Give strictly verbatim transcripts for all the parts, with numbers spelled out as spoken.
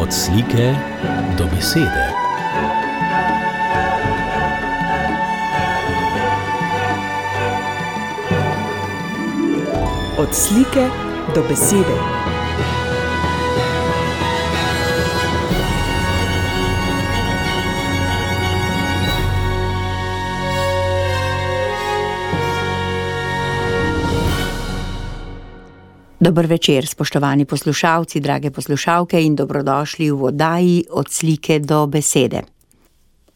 Od slike do besede. Od slike do besede. Dober večer, spoštovani poslušalci, drage poslušalke in dobrodošli v oddaji Od slike do besede.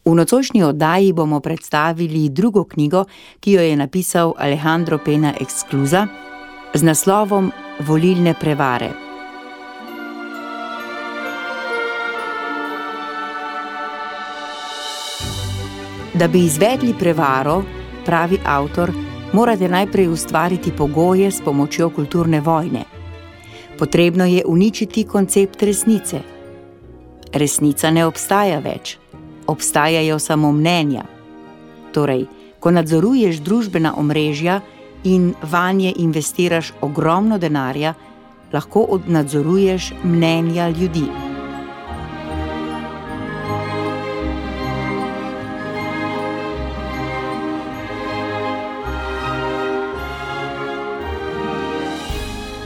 V nocojšnji oddaji bomo predstavili drugo knjigo, ki jo je napisal Alejandro Pena Esclusa z naslovom Volilne prevare. Da bi izvedli prevaro, pravi avtor, morate najprej ustvariti pogoje s pomočjo kulturne vojne. Potrebno je uničiti koncept resnice. Resnica ne obstaja več, obstajajo samo mnenja. Torej, ko nadzoruješ družbena omrežja in vanje investiraš ogromno denarja, lahko nadzoruješ mnenja ljudi.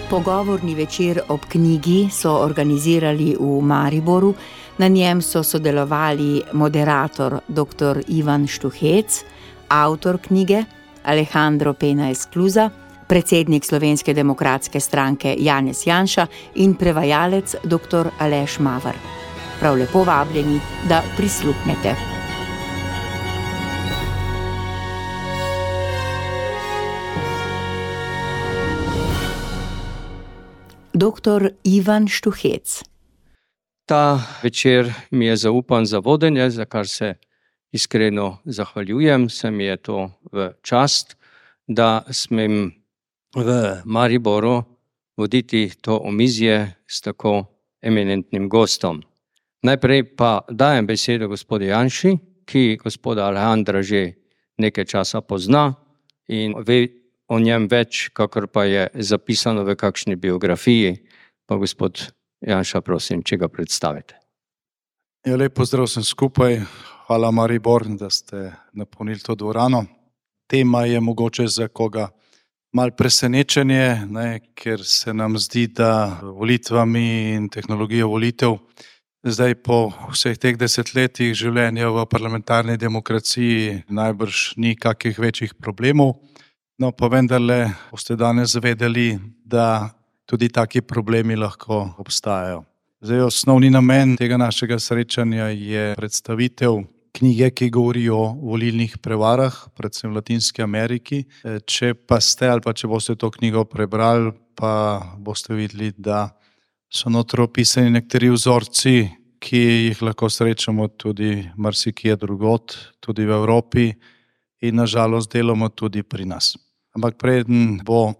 Pogovorni večer ob knjigi so organizirali v Mariboru. Na njem so sodelovali moderator doktor Ivan Štuhec, avtor knjige Alejandro Pena Esclusa, predsednik Slovenske demokratske stranke Janez Janša in prevajalec doktor Aleš Maver. Prav lepo vabljeni, da prisluhnete. Doktor Ivan Štuhec. Ta večer mi je zaupan za vodenje, za kar se iskreno zahvaljujem. Se mi je to v čast, da smem v Mariboru voditi to omizje s tako eminentnim gostom. Najprej pa dajem besedo gospodu Janši, ki gospoda Alejandra že nekaj časa pozna in ve o njem več, kakor pa je zapisano v kakšni biografiji. Pa gospod Janša, prosim, če ga predstavite. Ja, lep pozdrav sem skupaj. Hvala Maribor, da ste napolnili to dvorano. Tema je mogoče za koga malo presenečenje, ne, ker se nam zdi, da volitvami in tehnologijo volitev zdaj po vseh teh desetletjih življenja v parlamentarni demokraciji najbrž ni kakih večjih problemov. No, pa vendarle boste danes vedeli, da tudi taki problemi lahko obstajajo. Zdaj, osnovni namen tega našega srečanja je predstavitev knjige, ki govori o volilnih prevarah, predvsem v Latinski Ameriki. Če pa ste ali pa če boste to knjigo prebrali, pa boste videli, da so notri opisani nekateri vzorci, ki jih lahko srečamo tudi marsikje drugod, tudi v Evropi in na žalost delamo tudi pri nas. Ampak preden bo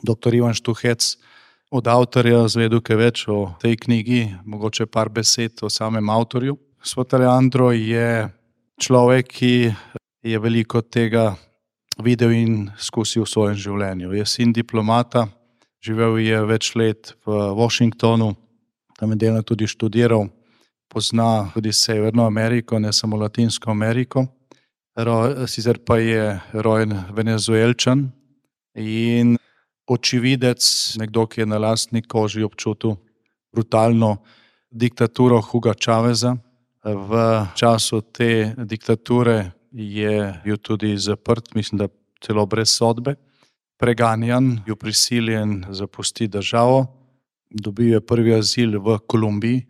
doktor Ivan Štuhec od avtorja zvedel kaj več o tej knjigi, mogoče par besed o samem avtorju. Gospod Alejandro je človek, ki je veliko tega videl in skusil v svojem življenju. Je sin diplomata, živel je več let v Washingtonu, tam je delno tudi študiral, pozna tudi Severno Ameriko, ne samo Latinsko Ameriko. Sicer pa je rojen Venezuelčan in očividec, nekdo, ki je na lastni koži občutil brutalno diktaturo Huga Chaveza. V času te diktature je bil tudi zaprt, mislim, da celo brez sodbe, preganjan, bil prisiljen zapustiti državo, dobil je prvi azil v Kolumbiji,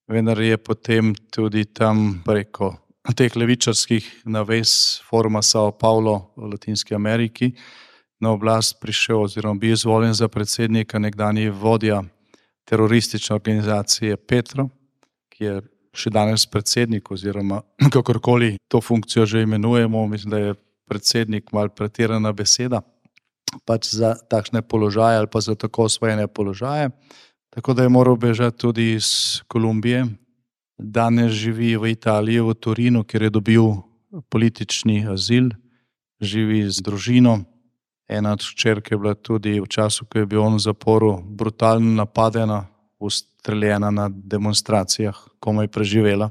vendar je potem tudi tam preko teh levičarskih navez Foruma Sao Paulo v Latinski Ameriki na oblast prišel oziroma bil izvoljen za predsednika nekdanji vodja teroristične organizacije Petro, ki je še danes predsednik oziroma kakorkoli to funkcijo že imenujemo, mislim, da je predsednik malo pretirana beseda, pač za takšne položaje ali pa za tako osvojene položaje. Tako da je moral bežati tudi iz Kolumbije. Danes živi v Italiji, v Torinu, kjer je dobil politični azil, živi z družino. Ena od hčerk je bila tudi v času, ko je bil on v zaporu, brutalno napadena ustreljena na demonstracijah, komaj preživela.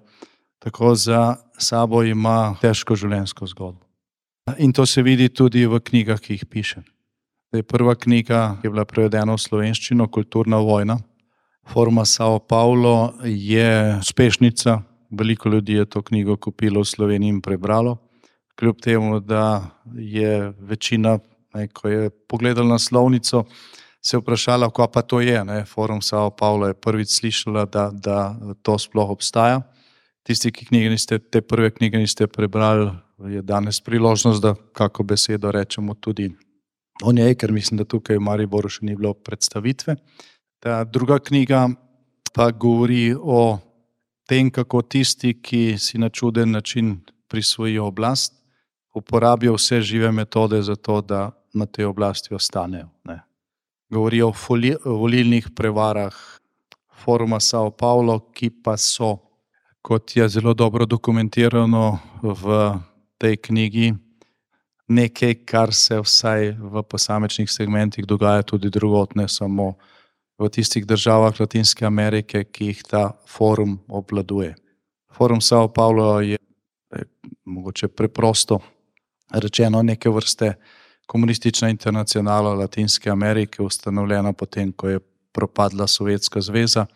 Tako za sabo ima težko življenjsko zgodbo. In to se vidi tudi v knjigah, ki jih piše. Prva knjiga je bila prevedena v slovenščino, Kulturna vojna. Foruma Sao Paulo je uspešnica, veliko ljudi je to knjigo kupilo v Sloveniji in prebralo. Kljub temu, da je večina, ne, ko je pogledala naslovnico, se je vprašala, kaj pa to je. Ne? Forum Sao Paulo je prvič slišala, da, da to sploh obstaja. Tisti, ki knjige niste, te prve knjige niste prebrali, je danes priložnost, da kako besedo rečemo tudi o njej, ker mislim, da tukaj v Mariboru še ni bilo predstavitve. Ta druga knjiga pa govori o tem, kako tisti, ki si na čuden način prisvojijo oblast, uporabijo vse žive metode za to, da na tej oblasti ostanejo. Ne. Govori o volilnih prevarah Foruma Sao Paulo, ki pa so, kot je zelo dobro dokumentirano v tej knjigi, nekaj, kar se vsaj v posamečnih segmentih dogaja tudi drugod, ne samo v tistih državah Latinske Amerike, ki jih ta forum obvladuje. Forum Sao Paulo je, je mogoče preprosto rečeno neke vrste komunistična internacionala Latinske Amerike, ustanovljena potem, ko je propadla Sovjetska zveza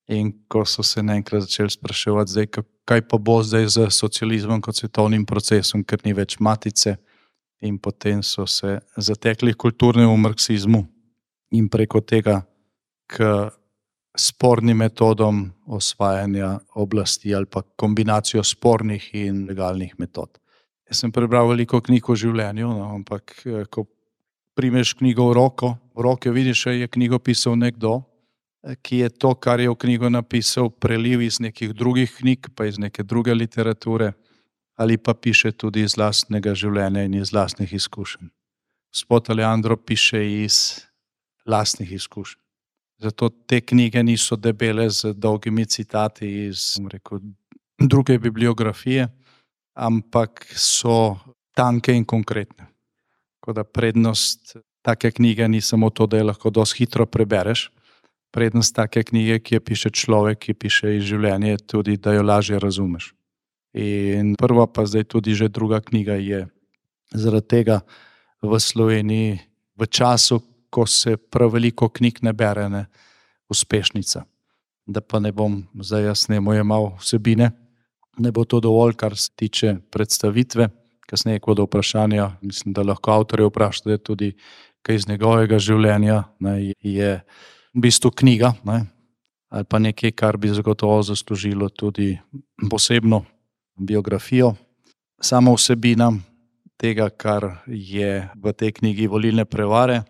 in ko so se naenkrat začeli spraševati, zdaj, kaj pa bo zdaj z socializmom kot svetovnim procesom, ker ni več matice, in potem so se zatekli kulturnemu marksizmu in preko tega k spornim metodom osvajanja oblasti ali pa kombinacijo spornih in legalnih metod. Jaz sem prebral veliko knjig o življenju, no, ampak ko primeš knjigo v roko, v roke vidiš, da je knjigo pisal nekdo, ki je to, kar je v knjigo napisal, preliv iz nekih drugih knjig, pa iz neke druge literature, ali pa piše tudi iz lastnega življenja in iz lastnih izkušenj. Gospod Alejandro piše iz lastnih izkušenj. Zato te knjige niso debele z dolgimi citati iz rekel, druge bibliografije, ampak so tanke in konkretne. Tako da prednost take knjige ni samo to, da je lahko dosti hitro prebereš. Prednost take knjige, ki je piše človek, ki piše iz življenja, je tudi, da jo lažje razumeš. In prva pa zdaj tudi že druga knjiga je zaradi tega v Sloveniji v času, ko se prav veliko knjig ne bere, ne, uspešnica. Da pa ne bom zdaj jaz nemo jemal vsebine, ne bo to dovolj, kar se tiče predstavitve, kasneje kot do vprašanja, mislim, da lahko avtorje vprašate tudi kaj iz njegovega življenja, ne, je v bistvu knjiga, ne, ali pa nekaj, kar bi zagotovo zaslužilo tudi posebno biografijo. Sama vsebina tega, kar je v tej knjigi Volilne prevare,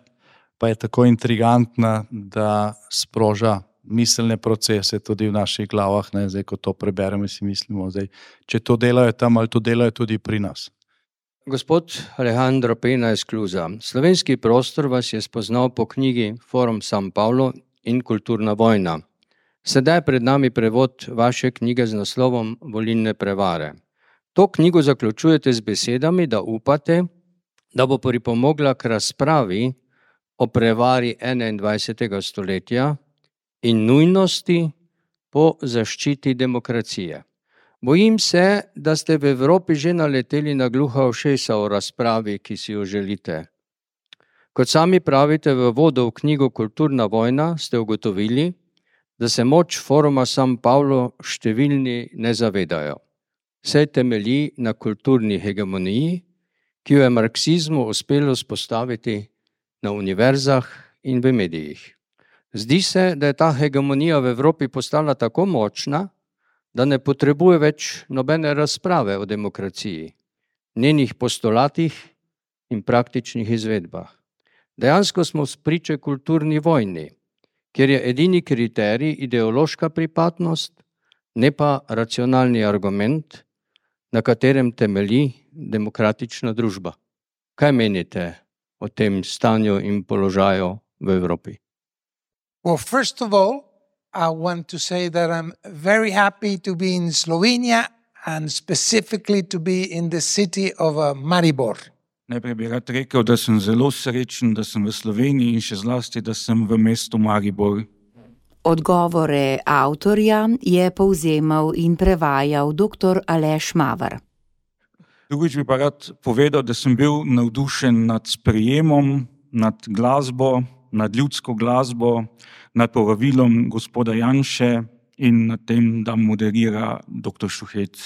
pa je tako intrigantna, da sproža miselne procese tudi v naših glavah. Ne? Zdaj, ko to preberemo, si mislimo, zdaj, če to delajo tam, ali to delajo tudi pri nas. Gospod Alejandro Pena Esclusa, slovenski prostor vas je spoznal po knjigi Forum Sao Paulo in Kulturna vojna. Sedaj je pred nami prevod vaše knjige z naslovom Volilne prevare. To knjigo zaključujete z besedami, da upate, da bo pripomogla k razpravi o prevari enaindvajsetega stoletja in nujnosti po zaščiti demokracije. Bojim se, da ste v Evropi že naleteli na gluha ušesa o razpravi, ki si jo želite. Kot sami pravite v uvodu v knjigo Kulturna vojna, ste ugotovili, da se moč Foruma Sao Paulo številni ne zavedajo. Vse temelji na kulturni hegemoniji, ki jo je marksizmu uspelo vzpostaviti na univerzah in v medijih. Zdi se, da je ta hegemonija v Evropi postala tako močna, da ne potrebuje več nobene razprave o demokraciji, njenih postulatih in praktičnih izvedbah. Dejansko smo spriče kulturni vojni, kjer je edini kriterij ideološka pripadnost, ne pa racionalni argument, na katerem temelji demokratična družba. Kaj menite o tem stanju in položaju v Evropi? Well, first of all, I want to say that I'm very happy to be in Slovenia and specifically to be in the city of uh, Maribor. Najprej bi rad rekel, da sem zelo srečen, da sem v Sloveniji in še zlasti, da sem v mestu Maribor. Odgovore avtorja je povzemal in prevajal doktor Aleš Maver. Drugič bi pa rad povedal, da sem bil navdušen nad sprejemom, nad glasbo, nad ljudsko glasbo, nad povabilom gospoda Janše in nad tem, da moderira doktor Šuhec.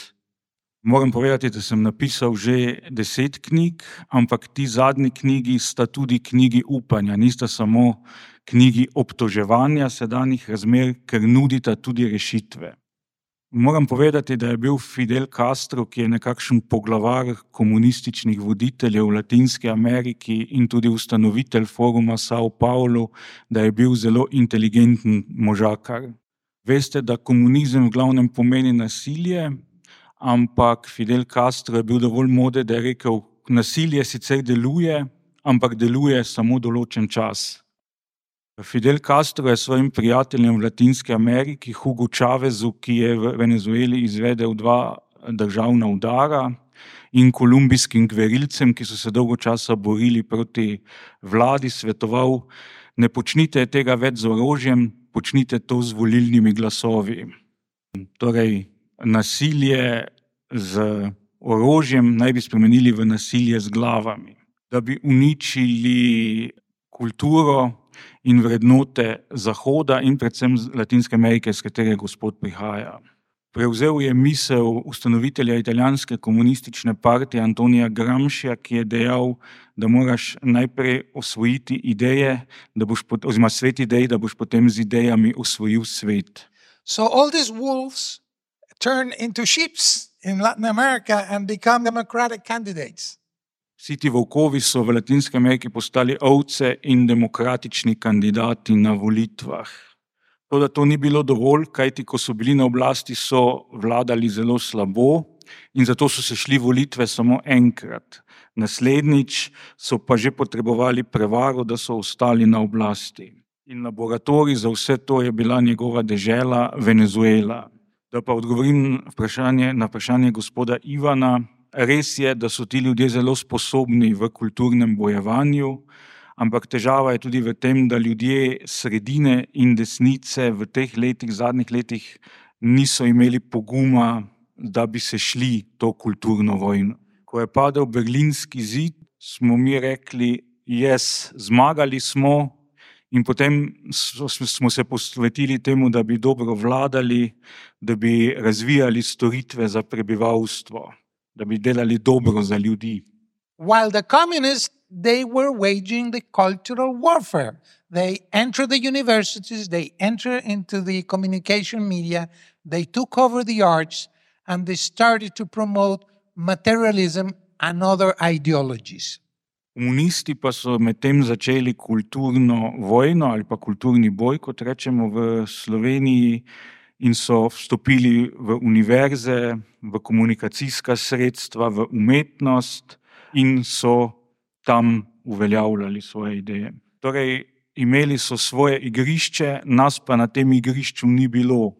Moram povedati, da sem napisal že deset knjig, ampak ti zadnji knjigi sta tudi knjigi upanja, nista samo knjigi obtoževanja sedanjih razmer, ker nudita tudi rešitve. Moram povedati, da je bil Fidel Castro, ki je nekakšen poglavar komunističnih voditeljev v Latinski Ameriki in tudi ustanovitelj foruma Sao Paulo, da je bil zelo inteligenten možakar. Veste, da komunizem v glavnem pomeni nasilje, ampak Fidel Castro je bil dovolj moder, da je rekel, nasilje sicer deluje, ampak deluje samo določen čas. Fidel Castro je svojim prijateljem v Latinski Ameriki, Hugo Chavezu, ki je v Venezueli izvedel dva državna udara, in kolumbijskim gverilcem, ki so se dolgo časa borili proti vladi, svetoval, ne počnite tega več z orožjem, počnite to z volilnimi glasovi. Torej, nasilje z orožjem naj bi spremenili v nasilje z glavami, da bi uničili kulturo in vrednote Zahoda in predvsem Latinske Amerike, s katere gospod prihaja. Prevzel je misel ustanovitelja italijanske komunistične partije Antonija Gramscija, ki je dejal, da moraš najprej osvojiti ideje, da boš, oziroma svet idej, da boš potem z idejami osvojil svet. So all these wolves turn into sheep in Latin America and become democratic candidates. Vsi ti volkovi so v Latinski Ameriki postali ovce in demokratični kandidati na volitvah. To, da to ni bilo dovolj, kajti ko so bili na oblasti, so vladali zelo slabo in zato so se šli volitve samo enkrat. Naslednjič so pa že potrebovali prevaro, da so ostali na oblasti. In laboratorij za vse to je bila njegova dežela Venezuela. Da pa odgovorim vprašanje, na vprašanje gospoda Ivana, res je, da so ti ljudje zelo sposobni v kulturnem bojevanju, ampak težava je tudi v tem, da ljudje sredine in desnice v teh letih, zadnjih letih niso imeli poguma, da bi se šli to kulturno vojno. Ko je padel Berlinski zid, smo mi rekli, yes, zmagali smo, in potem smo se posvetili temu, da bi dobro vladali, da bi razvijali storitve za prebivalstvo, da bi delali dobro za ljudi. While the communists, they were waging the cultural warfare. They entered the universities, they entered into the communication media, they took over the arts, and they started to promote materialism and other ideologies. Komunisti pa so medtem začeli kulturno vojno ali pa kulturni boj, kot rečemo v Sloveniji, in so vstopili v univerze, v komunikacijska sredstva, v umetnost in so tam uveljavljali svoje ideje. Torej, imeli so svoje igrišče, nas pa na tem igrišču ni bilo.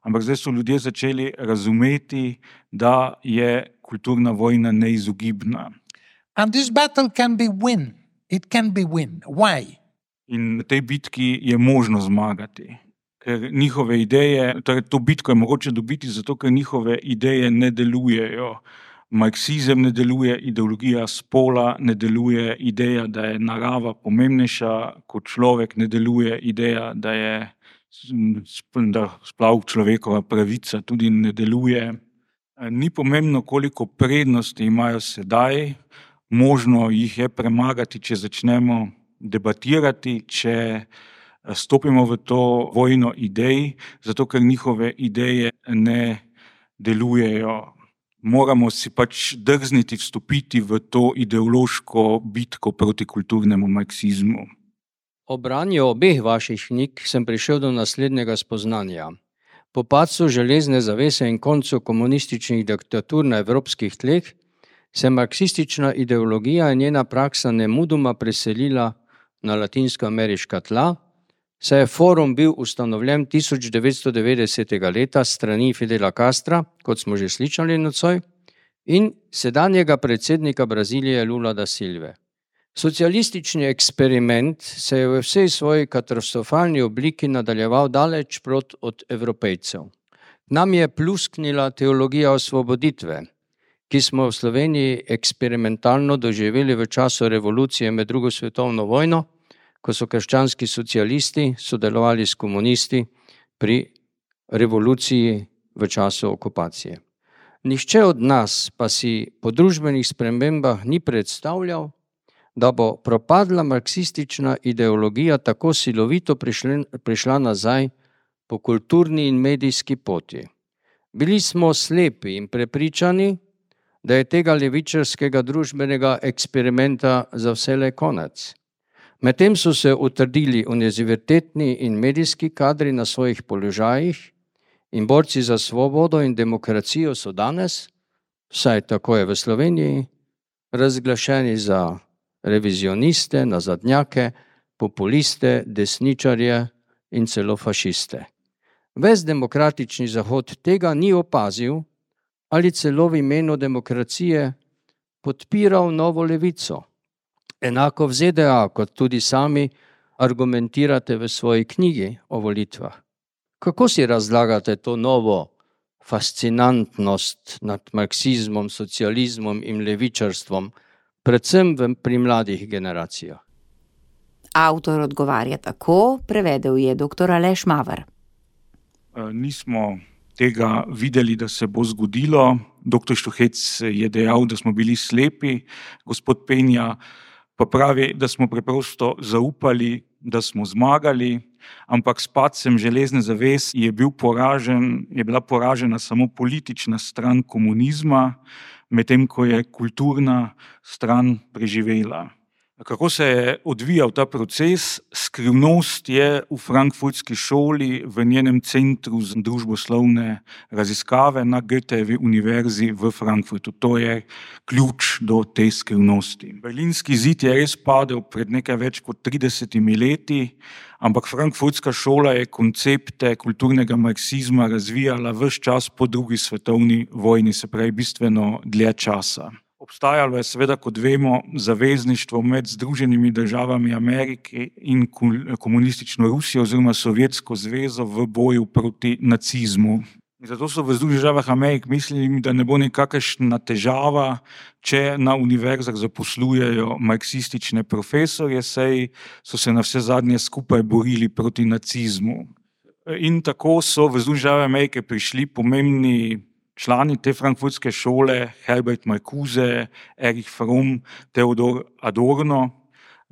Ampak zdaj so ljudje začeli razumeti, da je kulturna vojna neizogibna. And this battle can be win. It can be win. Why? In na tej bitki je možno zmagati. Ker njihove ideje, torej to bitko je mogoče dobiti zato, ker njihove ideje ne delujejo. Marksizem ne deluje, ideologija spola ne deluje, ideja, da je narava pomembnejša kot človek, ne deluje, ideja, da je da sploh človekova pravica tudi ne deluje. Ni pomembno, koliko prednosti imajo sedaj, možno jih je premagati, če začnemo debatirati, če stopimo v to vojno idej, zato ker njihove ideje ne delujejo. Moramo si pač drzniti vstopiti v to ideološko bitko proti kulturnemu marksizmu. Ob branju obeh vaših knjig sem prišel do naslednjega spoznanja. Po padcu železne zavese in koncu komunističnih diktatur na evropskih tleh se marksistična ideologija in njena praksa nemudoma preselila na latinskoameriška tla, saj je forum bil ustanovljen tisoč devetsto devetdesetega leta strani Fidela Castra, kot smo že slišali nocoj, in sedanjega predsednika Brazilije Lula da Silve. Socialistični eksperiment se je v vsej svoji katastrofalni obliki nadaljeval daleč prot od Evropejcev. Nam je plusknila teologija osvoboditve, ki smo v Sloveniji eksperimentalno doživeli v času revolucije med drugo svetovno vojno, ko so krščanski socialisti sodelovali s komunisti pri revoluciji v času okupacije. Nihče od nas pa si po družbenih spremembah ni predstavljal, da bo propadla marksistična ideologija tako silovito prišla, prišla nazaj po kulturni in medijski poti. Bili smo slepi in prepričani, da je tega levičarskega družbenega eksperimenta za vselej konec. Medtem so se utrdili univerzitetni in medijski kadri na svojih položajih in borci za svobodo in demokracijo so danes, vsaj tako je v Sloveniji, razglašeni za revizioniste, nazadnjake, populiste, desničarje in celo fašiste. Ves demokratični Zahod tega ni opazil ali celo v imenu demokracije podpiral novo levico. Enako v Z D A, kot tudi sami argumentirate v svoji knjigi o volitvah. Kako si razlagate to novo fascinantnost nad marksizmom, socializmom in levičarstvom, predvsem pri mladih generacijah? Avtor odgovarja tako, prevedel je doktor Aleš Maver. Nismo tega videli, da se bo zgodilo. Doktor Štuhec je dejal, da smo bili slepi. Gospod Penja pa pravi, da smo preprosto zaupali, da smo zmagali, ampak s padcem železne zaves je bil poražen, je bila poražena samo politična stran komunizma, medtem ko je kulturna stran preživela. Kako se je odvijal ta proces? Skrivnost je v frankfurtski šoli, v njenem centru za družboslovne raziskave na Goethejevi univerzi v Frankfurtu. To je ključ do te skrivnosti. Berlinski zid je res padel pred nekaj več kot tridesetimi leti, ampak frankfurtska šola je koncepte kulturnega marksizma razvijala ves čas po drugi svetovni vojni, se pravi bistveno dlje časa. Obstajalo je seveda, kot vemo, zavezništvo med Združenimi državami Amerike in komunistično Rusijo oziroma Sovjetsko zvezo v boju proti nacizmu. In zato so v Združenih državah Amerike mislili, da ne bo nikakršna težava, če na univerzah zaposlujejo marksistične profesorje, saj so se na vse zadnje skupaj borili proti nacizmu. In tako so v Združenih državah Amerike prišli pomembni člani te frankfurtske šole, Herbert Marcuse, Erich Fromm, Theodor Adorno,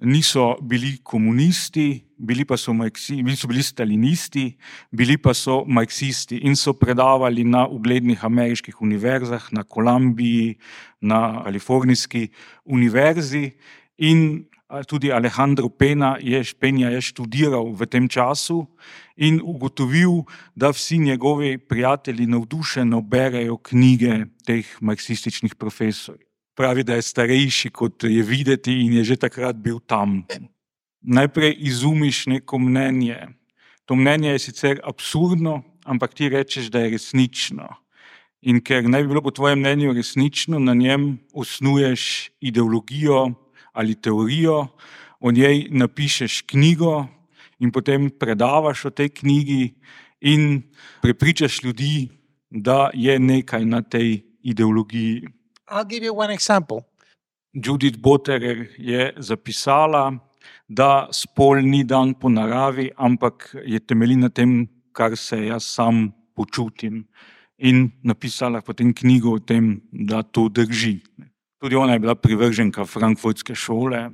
niso bili komunisti, bili pa so, marksi, bili so bili stalinisti, bili pa so marksisti in so predavali na uglednih ameriških univerzah, na Kolumbiji, na Kalifornijski univerzi in tudi Alejandro Pena je, Penja je študiral v tem času in ugotovil, da vsi njegovi prijatelji navdušeno berejo knjige teh marksističnih profesorjev. Pravi, da je starejši, kot je videti in je že takrat bil tam. Najprej izumiš neko mnenje. To mnenje je sicer absurdno, ampak ti rečeš, da je resnično. In ker naj bi bilo po tvojem mnenju resnično, na njem osnuješ ideologijo ali teorijo, o njej napišeš knjigo in potem predavaš o tej knjigi in prepričaš ljudi, da je nekaj na tej ideologiji. I'll give you one example. Judith Butterer je zapisala, da spol ni dan po naravi, ampak je temelji na tem, kar se jaz sam počutim. In napisala potem knjigo o tem, da to drži. Tudi ona je bila privrženka frankfurtske šole.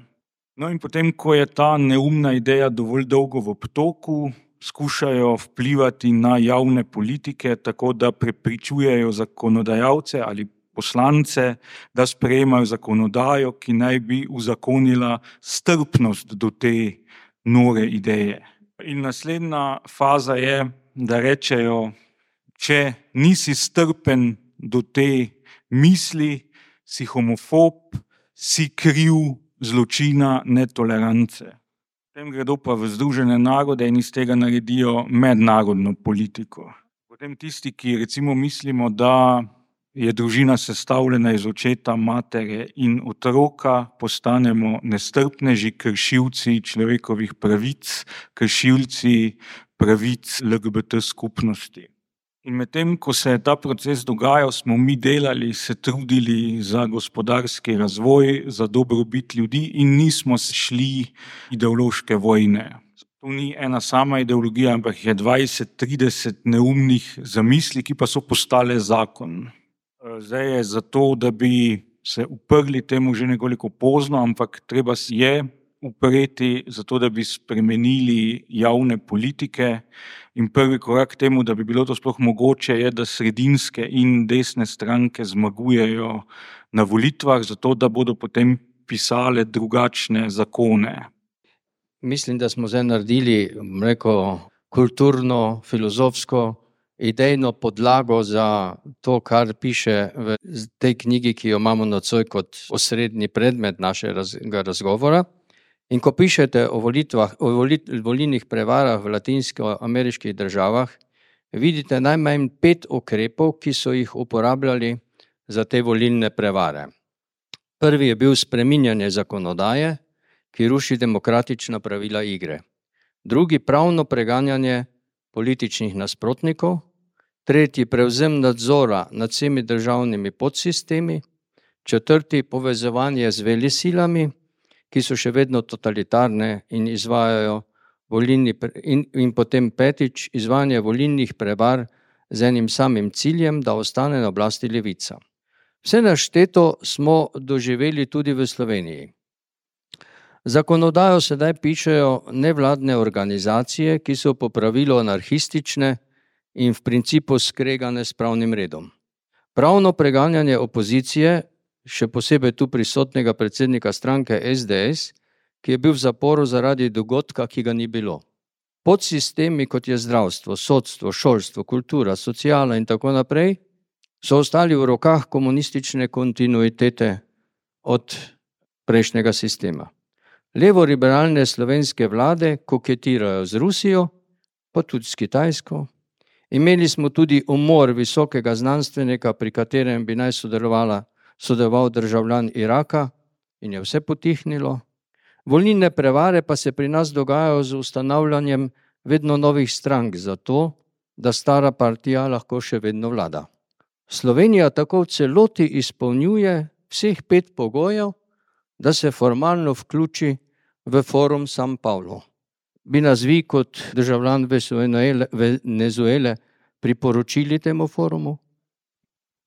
No in potem, ko je ta neumna ideja dovolj dolgo v obtoku, skušajo vplivati na javne politike, tako da prepričujejo zakonodajalce ali poslance, da sprejemajo zakonodajo, ki naj bi uzakonila strpnost do te nore ideje. In naslednja faza je, da rečejo, če nisi strpen do te misli, si homofob, si kriv zločina netolerance. Potem gredo pa v Združene narode in iz tega naredijo mednarodno politiko. Potem tisti, ki recimo mislimo, da je družina sestavljena iz očeta, matere in otroka, postanemo nestrpneži, kršilci človekovih pravic, kršilci pravic L G B T skupnosti. In medtem, ko se je ta proces dogajal, smo mi delali, se trudili za gospodarski razvoj, za dobrobit ljudi in nismo šli ideološke vojne. Tu ni ena sama ideologija, ampak je dvajset trideset neumnih zamisli, ki pa so postale zakon. Zdaj je zato, da bi se uprli temu že nekoliko pozno, ampak treba je upreti zato, da bi spremenili javne politike. In prvi korak temu, da bi bilo to sploh mogoče, je, da sredinske in desne stranke zmagujejo na volitvah, zato da bodo potem pisale drugačne zakone. Mislim, da smo zdaj naredili neko kulturno, filozofsko, idejno podlago za to, kar piše v tej knjigi, ki jo imamo nocoj kot osrednji predmet našega razgovora. In ko pišete o volitvah, o volilnih prevarah v latinsko-ameriških državah, vidite najmanj pet ukrepov, ki so jih uporabljali za te volilne prevare. Prvi je bil spreminjanje zakonodaje, ki ruši demokratična pravila igre. Drugi pravno preganjanje političnih nasprotnikov. Tretji prevzem nadzora nad vsemi državnimi podsistemi. Četrti povezovanje z velesilami, ki so še vedno totalitarne in izvajajo volilni in, in potem petič izvajanje volilnih prevar z enim samim ciljem, da ostane na oblasti levica. Vse našteto smo doživeli tudi v Sloveniji. Zakonodajo sedaj pišejo nevladne organizacije, ki so po pravilu anarhistične in v principu skregane s pravnim redom. Pravno preganjanje opozicije, še posebej tu prisotnega predsednika stranke S D S, ki je bil v zaporu zaradi dogodka, ki ga ni bilo. Podsistemi, kot je zdravstvo, sodstvo, šolstvo, kultura, sociala in tako naprej, so ostali v rokah komunistične kontinuitete od prejšnjega sistema. Levo-liberalne slovenske vlade koketirajo z Rusijo, pa tudi s Kitajsko. Imeli smo tudi umor visokega znanstvenika, pri katerem bi naj sodelovala, sodeloval državljan Iraka in je vse potihnilo. Volilne prevare pa se pri nas dogajajo z ustanavljanjem vedno novih strank, zato da stara partija lahko še vedno vlada. Slovenija tako v celoti izpolnjuje vseh pet pogojev, da se formalno vključi v forum San Paulo. Bi nas vi kot državljan Venezuele priporočili temu forumu?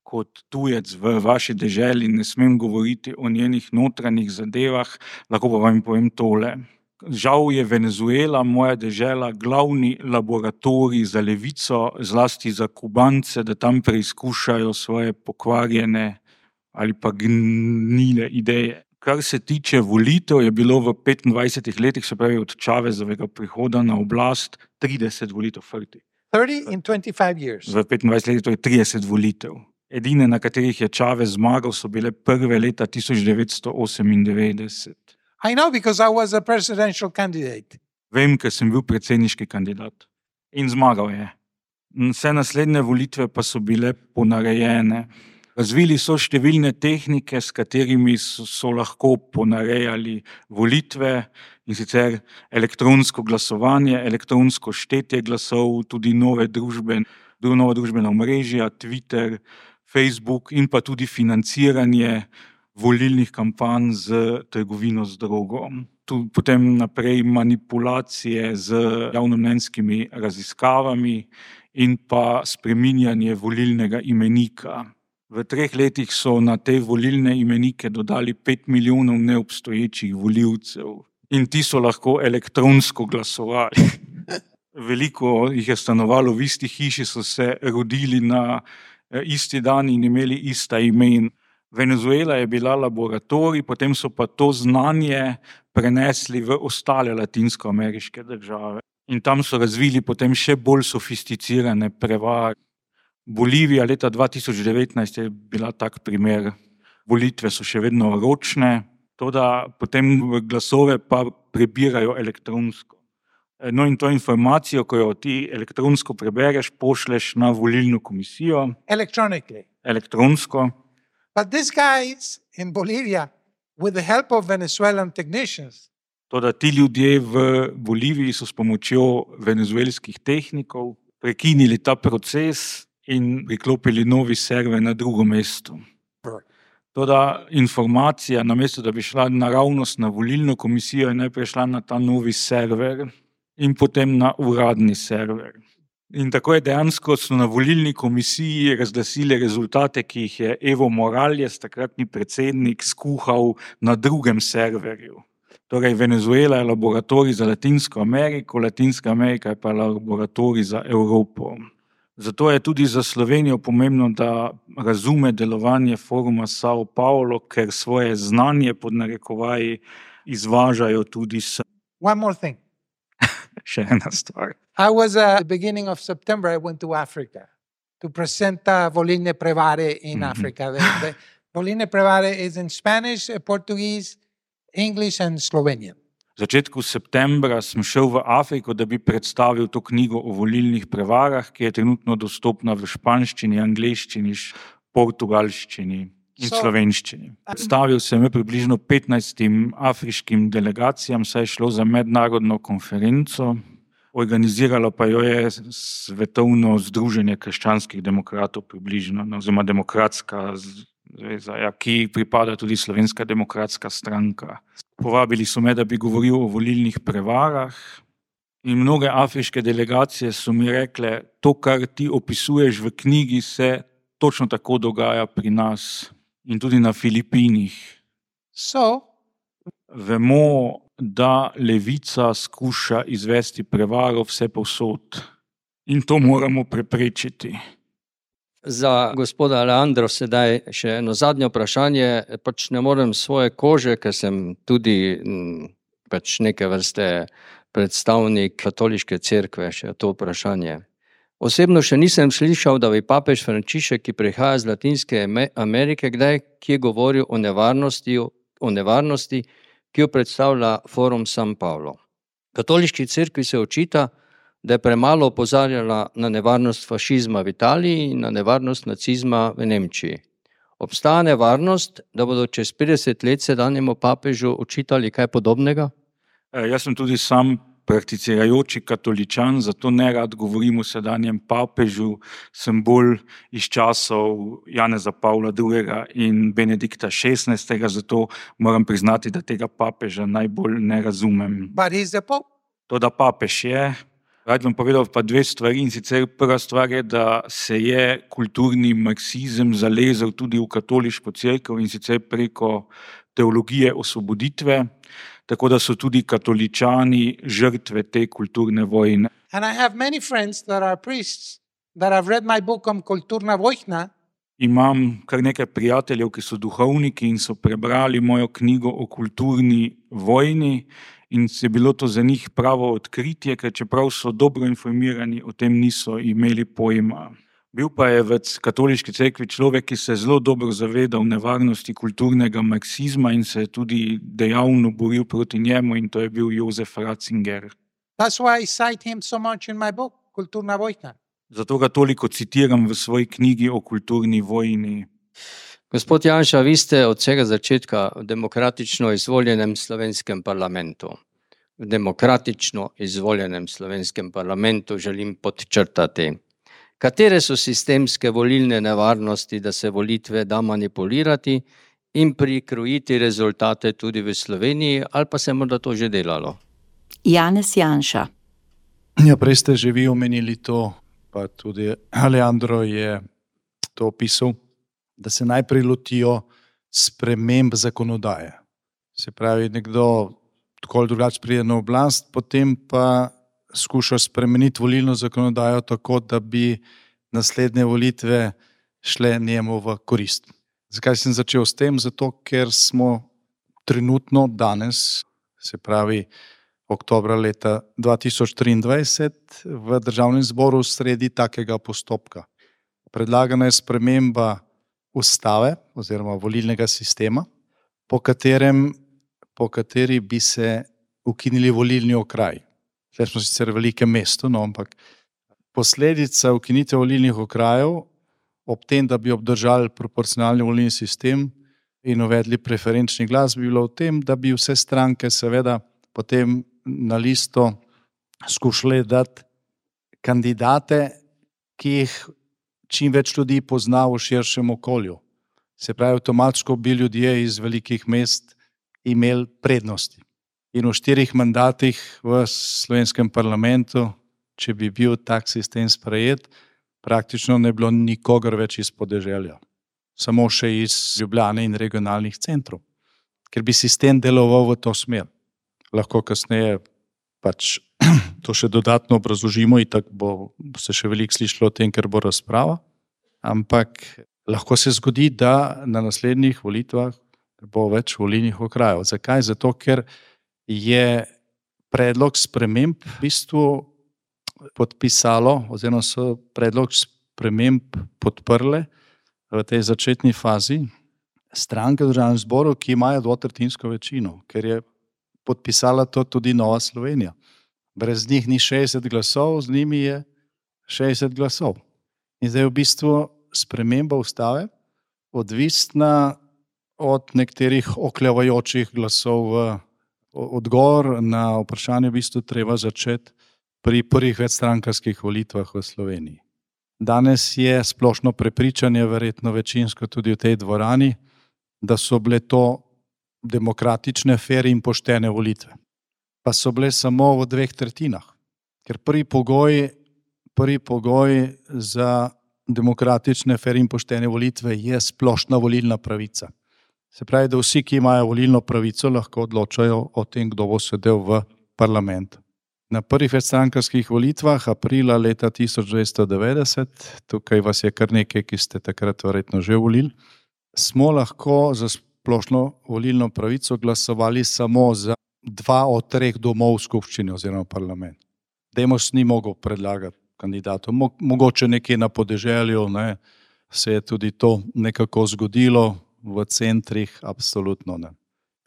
Kot tujec v vaši deželi ne smem govoriti o njenih notranjih zadevah, lahko pa vam povem tole. Žal je Venezuela, moja dežela, glavni laboratorij za levico, zlasti za Kubance, da tam preizkušajo svoje pokvarjene ali pa gnile ideje. Kar se tiče volitev, je bilo v petindvajsetih letih, se pravi od Chavezovega prihoda na oblast, trideset volitev. thirty in twenty-five years. V petindvajsetih letih to je trideset volitev. Edine, na katerih je Chavez zmagal, so bile prve leta tisoč devetsto osemindevetdeset. I know because I was a presidential candidate. Vem, ker sem bil predsedniški kandidat. In zmagal je. Vse naslednje volitve pa so bile ponarejene. Razvili so številne tehnike, s katerimi so, so lahko ponarejali volitve, in sicer elektronsko glasovanje, elektronsko štetje glasov, tudi nove družbe, nova družbena omrežja, Twitter, Facebook in pa tudi financiranje volilnih kampanj z trgovino z drogo. Tu potem naprej manipulacije z javnomnenjskimi raziskavami in pa spreminjanje volilnega imenika. V treh letih so na te volilne imenike dodali pet milijonov neobstoječih volivcev in ti so lahko elektronsko glasovali. Veliko jih je stanovalo v isti hiši, so se rodili na isti dan in imeli ista imena. Venezuela je bila laboratorij, potem so pa to znanje prenesli v ostale latinskoameriške države. In tam so razvili potem še bolj sofisticirane prevare. Bolivija leta dva tisoč devetnajst je bila tak primer. Volitve so še vedno ročne, toda potem glasove pa prebirajo elektronsko. No in to informacijo, ko jo ti elektronsko prebereš, pošleš na volilno komisijo. Electronically. elektronsko. But these guys in Bolivia, with the help of Venezuelan technicians, Toda ti ljudje v Boliviji so s pomočjo venezuelskih tehnikov prekinili ta proces in priklopili novi server na drugo mesto. Toda informacija, namesto da bi šla naravnost na volilno komisijo, je najprej šla na ta novi server in potem na uradni server. In tako je dejansko so na volilni komisiji razglasili rezultate, ki jih je Evo Morales, takratni predsednik, skuhal na drugem serverju. Torej, Venezuela je laboratorij za Latinsko Ameriko, Latinska Amerika je pa laboratorij za Evropo. Zato je tudi za Slovenijo pomembno, da razume delovanje foruma Sao Paulo, ker svoje znanje pod narekovaji izvažajo tudi sem. one more thing. Še ena stvar. I was uh, at the beginning of September, I went to Africa to present uh, Volilne Prevare in Mhm. Africa. The, the Volilne Prevare is in Spanish, uh, Portuguese, English and Slovenian. V začetku septembra sem šel v Afriko, da bi predstavil to knjigo o volilnih prevarah, ki je trenutno dostopna v španščini, angleščini, š- portugalščini in So- slovenščini. Predstavil sem jo približno petnajstim afriškim delegacijam, saj je šlo za mednarodno konferenco, organiziralo pa jo je Svetovno združenje krščanskih demokratov približno, no, oziroma demokratska zveza, ja, ki pripada tudi Slovenska demokratska stranka. Povabili so me, da bi govoril o volilnih prevarah in mnoge afriške delegacije so mi rekle, to, kar ti opisuješ v knjigi, se točno tako dogaja pri nas in tudi na Filipinih. So Vemo, da levica skuša izvesti prevaro vse povsod in to moramo preprečiti. Za gospoda Leandro sedaj še eno zadnje vprašanje. Pač ne morem svoje kože, ker sem tudi m, pač neke vrste predstavnik katoliške cerkve, še to vprašanje. Osebno še nisem slišal, da bi papež Frančišek, ki prihaja z Latinske Ame- Amerike, kdaj kje govoril o nevarnosti, o nevarnosti, ki jo predstavlja forum San Paulo. Katoliški cerkvi se očita, da je premalo opozarjala na nevarnost fašizma v Italiji in na nevarnost nacizma v Nemčiji. Obstaja nevarnost, da bodo čez petdeset let sedanjemu papežu očitali kaj podobnega? E, Jaz sem tudi sam prakticirajoči katoličan, zato ne rad govorim o sedanjem papežu, sem bolj iz časov Janeza Pavla drugega in Benedikta šestnajstega, zato moram priznati, da tega papeža najbolj ne razumem. but he's the Pope. To, da papež je, rad vam povedal pa dve stvari, in sicer prva stvar je, da se je kulturni marksizem zalezel tudi v katoliško cerkev in sicer preko teologije osvoboditve, tako da so tudi katoličani žrtve te kulturne vojne. And I have many friends that are priests that have read my book on Kulturna Vojna, Imam kar nekaj prijateljev, ki so duhovniki in so prebrali mojo knjigo o kulturni vojni in je bilo to za njih pravo odkritje, ker čeprav so dobro informirani, o tem niso imeli pojma. Bil pa je v katoliški cerkvi človek, ki se je zelo dobro zavedal nevarnosti kulturnega marksizma in se je tudi dejavno boril proti njemu, in to je bil Jozef Ratzinger. That's why I cite him so much in my book, Kulturna Vojna. Zato ga toliko citiram v svoji knjigi o kulturni vojni. Gospod Janša, vi ste od vsega začetka v demokratično izvoljenem slovenskem parlamentu. V demokratično izvoljenem slovenskem parlamentu želim podčrtati. Katere so sistemske volilne nevarnosti, da se volitve da manipulirati in prikrojiti rezultate tudi v Sloveniji, ali pa se morda to že delalo? Janez Janša. Ja, prej ste že vi omenili to, pa tudi Alejandro je to opisal, da se najprej lotijo sprememb zakonodaje. Se pravi, nekdo tako ali drugače pride na oblast, potem pa skuša spremeniti volilno zakonodajo tako, da bi naslednje volitve šle njemu v korist. Zakaj sem začel s tem? Zato, ker smo trenutno danes, se pravi oktobra leta dva tisoč triindvajset, v Državnem zboru sredi takega postopka. Predlagana je sprememba ustave oziroma volilnega sistema, po katerem, po kateri bi se ukinili volilni okraji. Zdaj smo sicer v velikem mestu, no, ampak posledica ukinitve volilnih okrajev ob tem, da bi obdržali proporcionalni volilni sistem in uvedli preferenčni glas, bi bilo v tem, da bi vse stranke seveda potem na listo skušale dati kandidate, ki jih čim več ljudi pozna v širšem okolju. Se pravi, avtomatsko bi ljudje iz velikih mest imeli prednosti. In v štirih mandatih v slovenskem parlamentu, če bi bil tak sistem sprejet, praktično ne bilo nikogar več iz podeželja. Samo še iz Ljubljane in regionalnih centrov. Ker bi sistem deloval v to smer. Lahko kasneje pač to še dodatno obrazložimo in tako bo se še veliko slišalo o tem, ker bo razprava. Ampak lahko se zgodi, da na naslednjih volitvah bo več volilnih okrajev. Zakaj? Zato, ker je predlog sprememb v bistvu podpisalo, oziroma so predlog sprememb podprle v tej začetni fazi stranke v Državnem zboru, ki imajo dvotretjinsko večino, ker je podpisala to tudi Nova Slovenija. Brez njih ni šestdeset glasov, z njimi je šestdeset glasov. In zdaj je v bistvu sprememba ustave odvisna od nekaterih oklevajočih glasov v odgovor na vprašanje v bistvu treba začeti pri prvih večstrankarskih volitvah v Sloveniji. Danes je splošno prepričanje, verjetno večinsko tudi v tej dvorani, da so bile to demokratične, fer in poštene volitve. Pa so bile samo v dveh tretjinah. Ker prvi pogoj, prvi pogoj za demokratične, fer in poštene volitve je splošna volilna pravica. Se pravi, da vsi, ki imajo volilno pravico, lahko odločajo o tem, kdo bo sedel v parlamentu. Na prvih večstrankarskih volitvah aprila leta tisoč devetsto devetdeset, tukaj vas je kar nekaj, ki ste takrat verjetno že volili, smo lahko za splošno volilno pravico glasovali samo za dva od treh domov skupščine oziroma parlament. Demos ni mogel predlagati kandidatov. Mogoče nekje na podeželju, ne, se je tudi to nekako zgodilo, v centrih absolutno ne.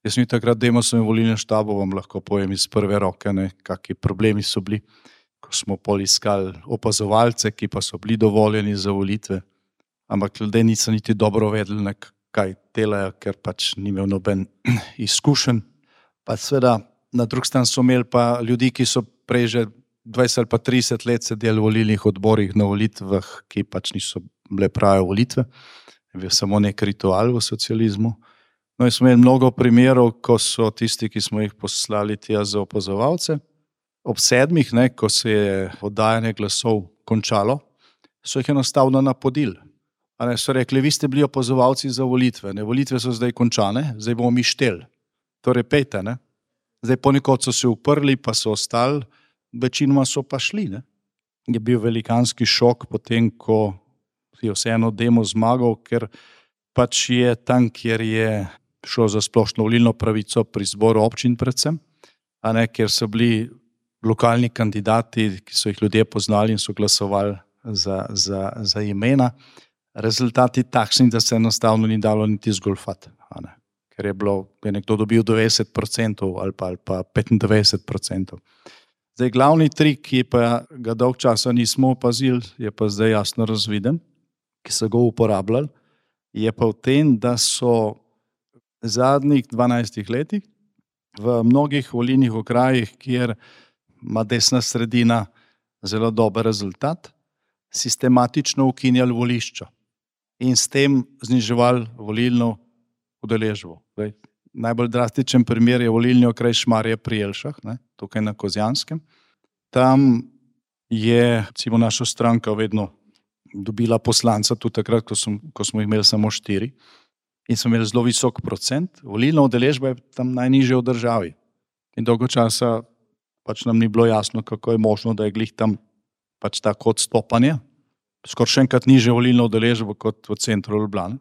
Jaz mi takrat Demosovem volilnem štabu vam lahko povem iz prve roke, ne, kakšni problemi so bili, ko smo pol iskali opazovalce, ki pa so bili dovoljeni za volitve, ampak ljudje niso niti dobro vedeli, ne, kaj delajo, ker pač ni imel noben izkušenj. Pa seveda na drug stran so imeli pa ljudi, ki so prej že dvajset ali pa trideset let sedeli v volilnih odborih na volitvah, ki pač niso bile prave volitve, je bil samo nek ritual v socializmu. No in smo imeli mnogo primerov, ko so tisti, ki smo jih poslali tja za opazovalce, ob sedmih, ne, ko se je oddajanje glasov končalo, so jih enostavno napodili. A ne, so rekli, vi ste bili opazovalci za volitve, ne, volitve so zdaj končane, zdaj bomo mi šteli. Torej pejte, ne. Zdaj ponekod so se uprli, pa so ostali, večinoma so pa šli, ne. Je bil velikanski šok potem, ko je vseeno Demos zmagal, ker pač je tam, kjer je šlo za splošno volilno pravico pri zboru občin predvsem, a ne, ker so bili lokalni kandidati, ki so jih ljudje poznali in so glasovali za, za, za imena, rezultati takšni, da se enostavno ni dalo niti zgolfati, a ne. Ker je bilo, je nekdo dobil devetdeset procentov ali pa, ali pa petindevetdeset procentov. Zdaj, glavni trik, ki pa ga dolg časa nismo opazili, je pa zdaj jasno razviden, ki so ga uporabljali, je pa v tem, da so v zadnjih dvanajstih letih v mnogih volilnih okrajih, kjer ima desna sredina zelo dober rezultat, sistematično ukinjali volišča in s tem zniževali volilno udeležbo. Najbolj drastičen primer je volilni okraj Šmarje pri Jelšah, ne, tukaj na Kozjanskem. Tam je recimo naša stranka vedno dobila poslanca, tudi takrat, ko, som, ko smo imeli samo štiri in smo imeli zelo visok procent. Volilna udeležba je tam najnižja v državi. In dolgo časa pač nam ni bilo jasno, kako je možno, da je glih tam pač tako odstopanje. Skoraj še enkrat nižja volilna udeležba kot v centru Ljubljane.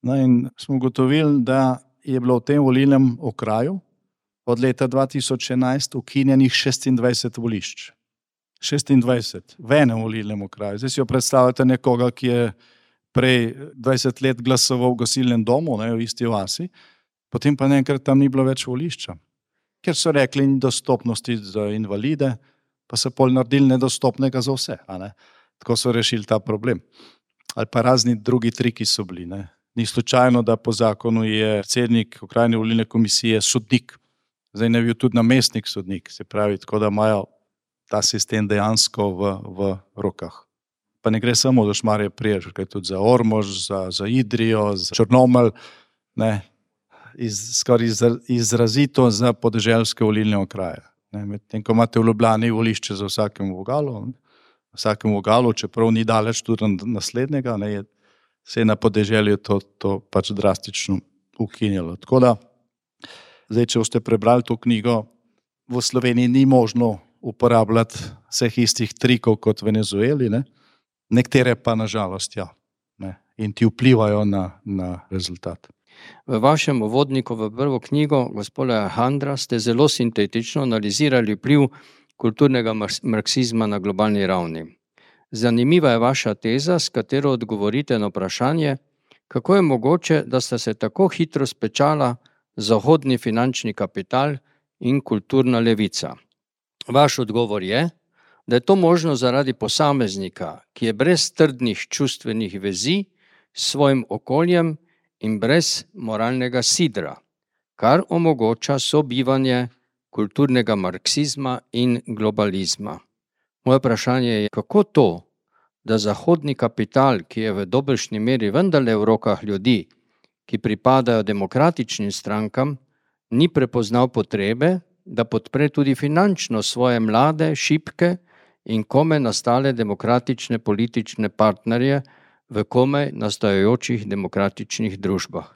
No in smo ugotovili, da je bilo v tem volilnem okraju od leta dva tisoč enajst ukinjenih šestindvajset volišč. šestindvajset v enem volilnem okraju. Zdaj si jo predstavljate nekoga, ki je prej dvajset let glasoval v gasilnem domu, ne, v isti vasi, potem pa naenkrat tam ni bilo več volišča. Ker so rekli dostopnosti za invalide, pa so pol naredili nedostopnega za vse. A ne? Tako so rešili ta problem. ali pa razni drugi triki so bili. Ne. Ni slučajno, da po zakonu je predsednik okrajne volilne komisije sodnik. Zdaj ne bi bil tudi namestnik sodnik, se pravi, tako da imajo ta sistem dejansko v, v rokah. Pa ne gre samo za Šmarje pri Jelšah, gre tudi za Ormož, za, za Idrijo, za Črnomelj, ne, iz, skoraj iz, izrazito za podeželske volilne okraje. Medtem ko imate v Ljubljani volišče za vsakem vogalu, vsakem vogalu, čeprav ni daleč tudi naslednjega, ne, je, se je na podeželju to, to pač drastično ukinjalo. Tako da, zdaj, če boste prebrali to knjigo, v Sloveniji ni možno uporabljati vseh istih trikov kot v Venezueli, ne? Nekatere pa nažalost ja, ne? In ti vplivajo na, na rezultat. V vašem uvodniku v prvo knjigo gospoda Alejandra ste zelo sintetično analizirali vpliv kulturnega marksizma na globalni ravni. Zanimiva je vaša teza, s katero odgovorite na vprašanje, kako je mogoče, da sta se tako hitro spečala zahodni finančni kapital in kulturna levica. Vaš odgovor je, da je to možno zaradi posameznika, ki je brez trdnih čustvenih vezi s svojim okoljem in brez moralnega sidra, kar omogoča sobivanje kulturnega marksizma in globalizma. Moje vprašanje je, kako to, da zahodni kapital, ki je v dobršni meri vendarle v rokah ljudi, ki pripadajo demokratičnim strankam, ni prepoznal potrebe, da podpre tudi finančno svoje mlade, šibke in komaj nastale demokratične politične partnerje v komaj nastajajočih demokratičnih družbah.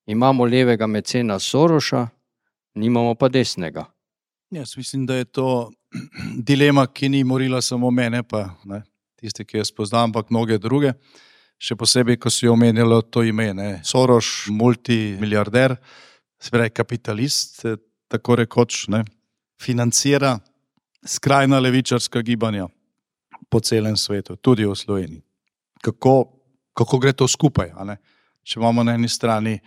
Imamo levega mecena Soroša, nimamo pa desnega. Jaz mislim, da je to dilema, ki ni morila samo mene, pa ne, tiste, ki jaz poznam, ampak mnoge druge. Še posebej, ko si omenjalo to ime. Ne. Soros, multimiliarder, se pravi kapitalist, tako rekoč, ne, financira skrajna levičarska gibanja po celem svetu, tudi v Sloveniji. Kako, kako gre to skupaj? A ne? Če imamo na eni strani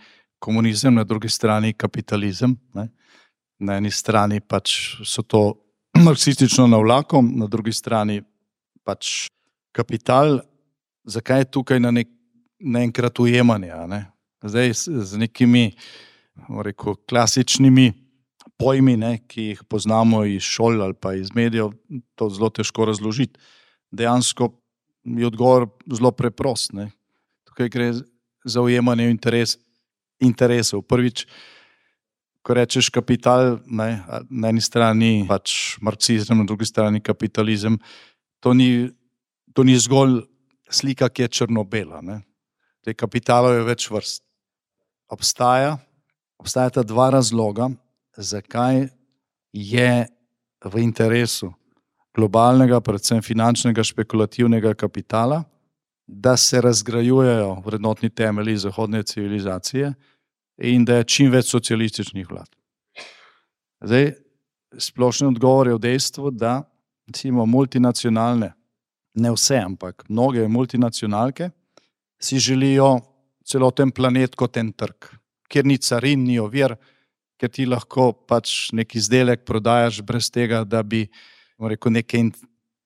komunizem, na drugi strani kapitalizem, ne? Na eni strani pač so to marksistično navlakom, na drugi strani pač kapital, zakaj je tukaj na nek, naenkrat ujemanje? Ne? Zdaj z nekimi rekel, klasičnimi pojmi, ne, ki jih poznamo iz šol ali pa iz medijev, to zelo težko razložiti. Dejansko je odgovor zelo preprost. Ne. Tukaj gre za ujemanje interes, interesov. Prvič, ko rečeš kapital, ne, na eni strani pač marksizem, na drugi strani kapitalizem, to ni, to ni zgolj slika, ki je črno-bela. Ne. Te kapitalov je več vrst. Obstaja, obstajata dva razloga, zakaj je v interesu globalnega, predvsem finančnega, špekulativnega kapitala, da se razgrajujejo vrednotni temelji zahodne civilizacije in da je čim več socialističnih vlad. Zdaj, splošni odgovor je v dejstvu, da recimo multinacionalne, ne vse, ampak mnoge multinacionalke si želijo celoten planet kot en trg, kjer ni carin, ni ovir, ker ti lahko pač nek izdelek prodajaš brez tega, da bi rekel, neke in,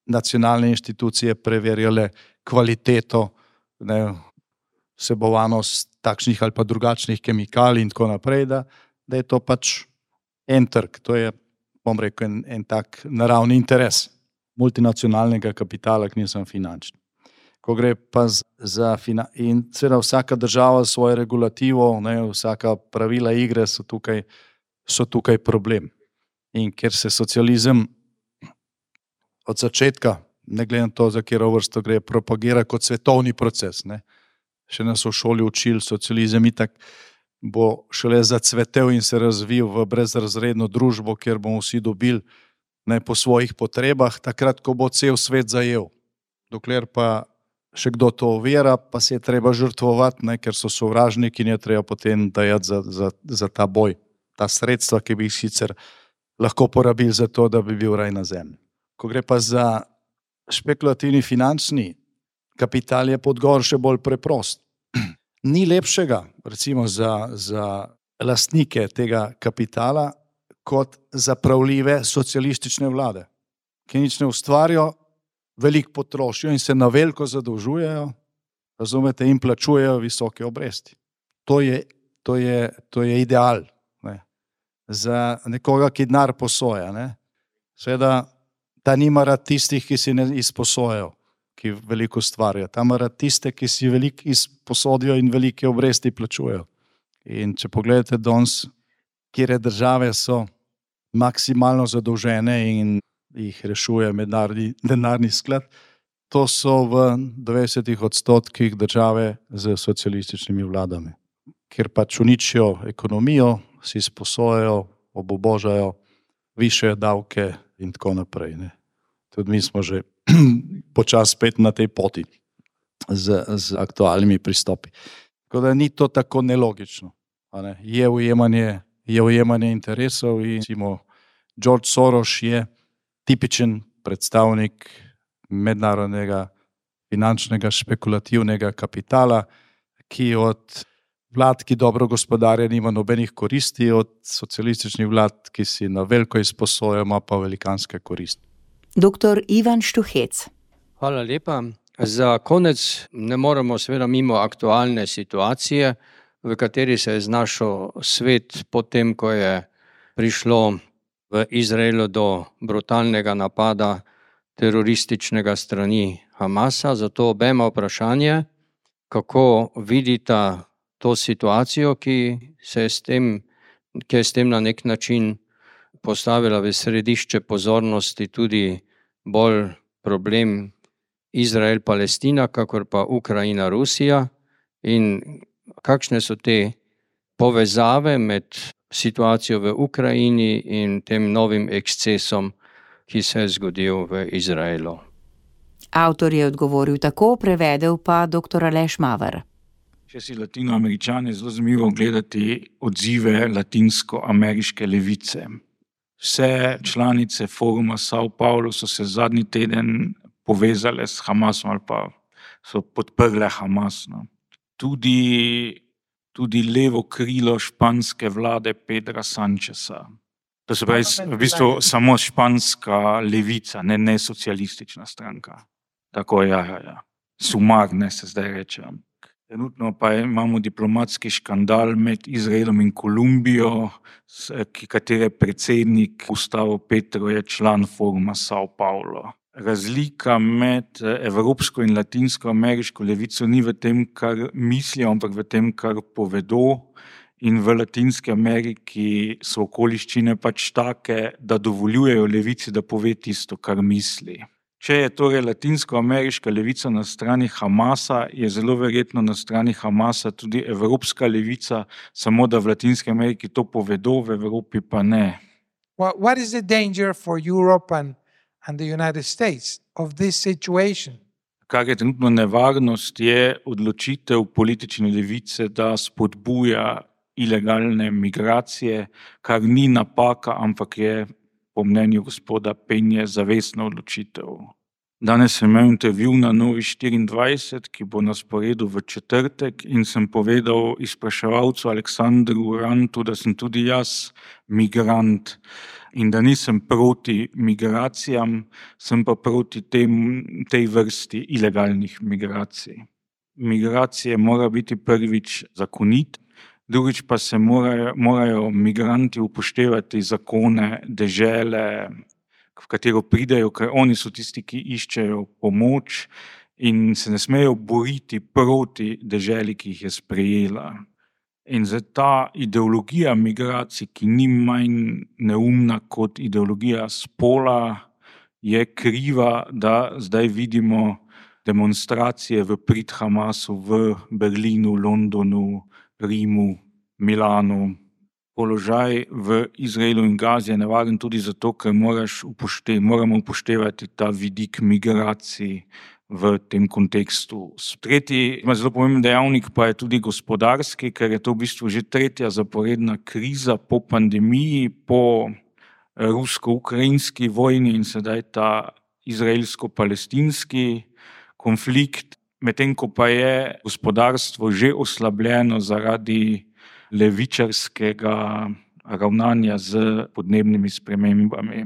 nacionalne inštitucije preverjale kvaliteto, ne, vsebovanost takšnih ali pa drugačnih kemikalij in tako naprej, da, da je to pač en trg. To je, bom rekel, en, en tak naravni interes multinacionalnega kapitala, ki nisem finančni. Ko gre pa za fina- in seveda vsaka država svojo regulativo, ne, vsaka pravila igre so tukaj, so tukaj problem. In ker se socializem od začetka, ne glede na to, za katero vrsto gre, propagira kot svetovni proces. Ne. Še nas v šoli učili, socializem itak bo šele zacvetel in se razvil v brezrazredno družbo, kjer bomo vsi dobili, ne, po svojih potrebah, takrat, ko bo cel svet zajel. Dokler pa še kdo to ovira, pa se je treba žrtvovati, ne, ker so sovražniki in je treba potem dajati za, za, za ta boj. Ta sredstva, ki bi jih sicer lahko porabili za to, da bi bil raj na zemlji. Ko gre pa za špekulativni finančni kapital, je podgovor še bolj preprost. Ni lepšega, recimo za, za lastnike tega kapitala, kot zapravljive socialistične vlade, ki nič ne ustvarijo, veliko potrošijo in se na veliko zadolžujejo, razumete, in plačujejo visoke obresti. To je, to je, to je ideal, ne. Za nekoga, ki denar posoja. Ne. Seveda, ta nima rad tistih, ki si ne izposojajo, ki veliko stvarijo. Ta ima rad tiste, ki si veliko izposodijo in velike obresti plačujejo. In če pogledate danes, kjer države so maksimalno zadolžene in jih rešuje mednarodni denarni sklad, to so v devetdesetih odstotkih države z socialističnimi vladami, kjer pač uničijo ekonomijo, si sposojajo, obobožajo, višajo davke in tako naprej. Ne. Tudi mi smo že počasi spet na tej poti z, z aktualnimi pristopi. Tako da ni to tako nelogično. A ne. Je ujemanje, je ujemanje interesov in recimo George Soros je tipičen predstavnik mednarodnega finančnega špekulativnega kapitala, ki od vlad, ki dobro gospodarja, nima nobenih koristi, od socialističnih vlad, ki si na veliko izposojajo, ima pa velikanske koristi. Doktor Ivan Štuhec. Hvala lepa. Za konec ne moremo seveda mimo aktualne situacije, v kateri se je znašel svet potem, ko je prišlo v Izraelu do brutalnega napada terorističnega strani Hamasa. Zato obema vprašanje, kako vidita to situacijo, ki se je s tem, ki je s tem na nek način postavila v središče pozornosti tudi bolj problem Izrael-Palestina, kakor pa Ukrajina-Rusija, in kakšne so te povezave med situacijo v Ukrajini in tem novim ekscesom, ki se je zgodil v Izraelu. Avtor je odgovoril tako, prevedel pa doktor Aleš Maver. Če si Latinoameričane, zelo zanimivo gledati odzive latinsko-ameriške levice. Vse članice foruma Sao Paulo so se zadnji teden povezale s Hamasom ali pa so podprle Hamas. No. Tudi, tudi levo krilo španske vlade Pedra Sancheza. To se pravi v bistvu samo španska levica, ne, ne socialistična stranka. Tako, ja, ja, ja. Sumar, ne se zdaj reče. Trenutno pa imamo diplomatski škandal med Izraelom in Kolumbijo, katere predsednik Gustavo Petro je član foruma Sao Paulo. Razlika med evropsko in latinsko-ameriško levico ni v tem, kar mislijo, ampak v tem, kar povedo. In v Latinski Ameriki so okoliščine pač take, da dovoljujejo levici, da pove tisto, kar misli. Če je torej latinsko-ameriška levica na strani Hamasa, je zelo verjetno na strani Hamasa tudi evropska levica, samo da v Latinski Ameriki to povedo, v Evropi pa ne. What is the danger for Europe and, and the United States of this situation? Kar je trenutno nevarnost, je odločitev politične levice, da spodbuja ilegalne migracije, kar ni napaka, ampak je po mnenju gospoda Penje zavestna odločitev. Danes sem imel intervju na Novi štiriindvajset, ki bo na sporedu v četrtek, in sem povedal izpraševalcu Aleksandru Urantu, da sem tudi jaz migrant in da nisem proti migracijam, sem pa proti tem, tej vrsti ilegalnih migracij. Migracije mora biti prvič zakonit, drugič pa se morajo, morajo migranti upoštevati zakone dežele, v katero pridejo, ker oni so tisti, ki iščejo pomoč in se ne smejo boriti proti deželi, ki jih je sprejela. In za ta ideologija migracij, ki ni manj neumna kot ideologija spola, je kriva, da zdaj vidimo demonstracije v prid Hamasu v Berlinu, Londonu, Rimu, Milanu. Položaj v Izraelu in Gazi je nevaren tudi zato, ker moraš upošte, moramo upoštevati ta vidik migracij v tem kontekstu. Tretji zelo pomemben dejavnik pa je tudi gospodarski, ker je to v bistvu že tretja zaporedna kriza po pandemiji, po rusko-ukrajinski vojni in sedaj ta izraelsko-palestinski konflikt, medtem ko pa je gospodarstvo že oslabljeno zaradi levičarskega ravnanja z podnebnimi spremembami.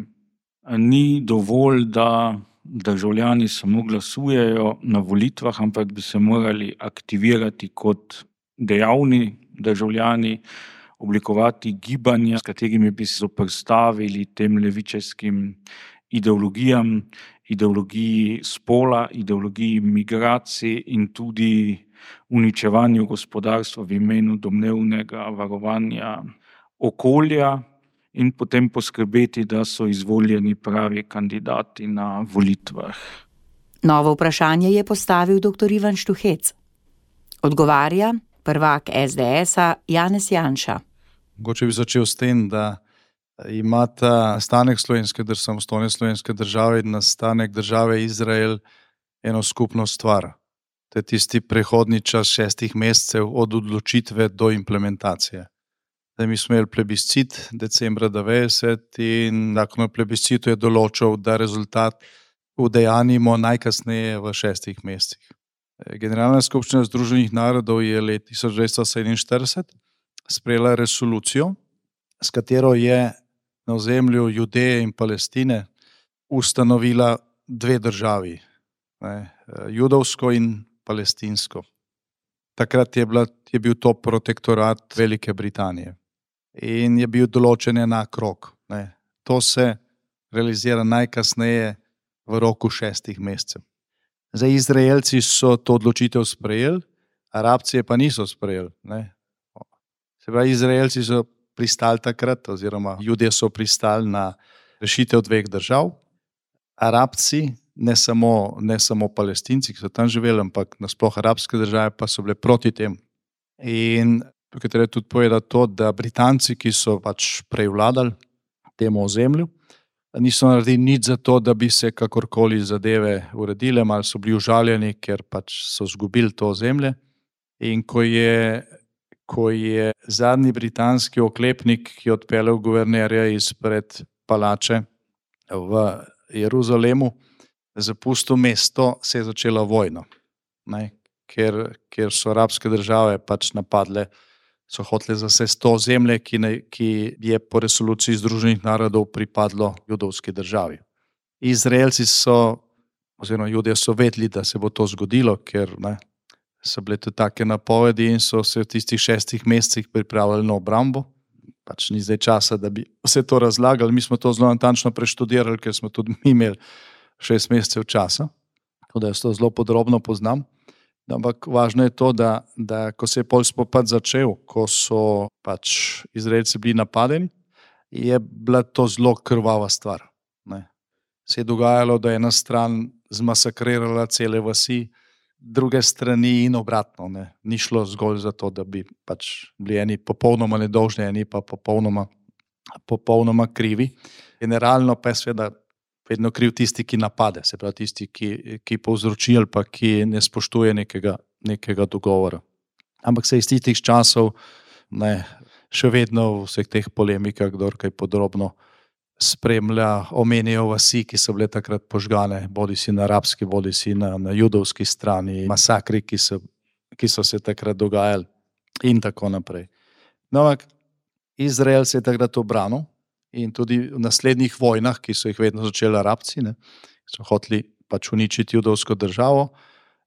Ni dovolj, da državljani samo glasujejo na volitvah, ampak bi se morali aktivirati kot dejavni državljani, oblikovati gibanja, s katerimi bi se zoperstavili tem levičarskim ideologijam, ideologiji spola, ideologiji migracij in tudi uničevanju gospodarstva v imenu domnevnega varovanja okolja in potem poskrbeti, da so izvoljeni pravi kandidati na volitvah. Novo vprašanje je postavil doktor Ivan Štuhec. Odgovarja prvak es de esa Janez Janša. Mogoče bi začel s tem, da imata nastanek slovenske, samostojne slovenske države in nastanek države Izrael eno skupno stvar. To je tisti prehodni čas šestih mesecev od odločitve do implementacije. Zdaj, mi smo imeli plebiscit decembra devetdeset in zakon o plebiscitu je določil, da rezultat udejanjimo najkasneje v šestih mesecih. Generalna skupščina Združenih narodov je leta tisoč devetsto sedeminštirideset sprejela resolucijo, s katero je na ozemlju Judeje in Palestine ustanovila dve državi, ne, judovsko in palestinsko. Takrat je, bila, je bil to protektorat Velike Britanije in je bil določen enak rok. Ne. To se realizira najkasneje v roku šestih mesecev. Zdaj, Izraelci so to odločitev sprejeli, Arabci pa niso sprejeli. Ne. Se pravi, Izraelci so pristali takrat, oziroma Judje so pristali na rešitev dveh držav, Arabci, ne samo, ne samo Palestinci, ki so tam živeli, ampak nasploh arabske države pa so bile proti tem. In tukaj treba tudi povedati to, da Britanci, ki so pač prej vladali temu ozemlju, niso naredili nič za to, da bi se kakorkoli zadeve uredile, malo so bili užaljeni, ker pač so izgubili to ozemlje. In ko je, ko je zadnji britanski oklepnik, ki je odpeljal guvernerja izpred palače v Jeruzalemu, zapustil mesto, se je začela vojna. Ne, ker, ker so arabske države pač napadle, so hotele zasesti to ozemlje, ki, ne, ki je po resoluciji Združenih narodov pripadlo judovski državi. Izraelci so, oziroma Judje so vedeli, da se bo to zgodilo, ker ne, so bile tudi take napovedi in so se v tistih šestih mesecih pripravljali na obrambo. Pač ni zdaj časa, da bi vse to razlagali. Mi smo to zelo natančno preštudirali, ker smo tudi mi imeli šest mesecev časa, tako da jaz to zelo podrobno poznam. Ampak važno je to, da, da ko se je pol spopad začel, ko so pač Izraelci bili napadeni, je bila to zelo krvava stvar. Ne. Se je dogajalo, da je ena stran zmasakrirala cele vasi, druge strani in obratno. Ne. Ni šlo zgolj za to, da bi pač bili eni popolnoma nedolžni, eni pa popolnoma, popolnoma krivi. Generalno pa je seveda vedno kriv tisti, ki napade, se pravi tisti, ki, ki povzroči ali pa ki ne spoštuje nekega, nekega dogovora. Ampak se iz tistih časov ne, še vedno v vseh teh polemikah, kdor kaj podrobno spremlja, omenijo vasi, ki so bile takrat požgane, bodi si na arabski, bodi si na, na judovski strani, masakri, ki so, ki so se takrat dogajali in tako naprej. No, ampak Izrael se je takrat obranil in tudi v naslednjih vojnah, ki so jih vedno začeli Arabci, ne, so hoteli pač uničiti judovsko državo,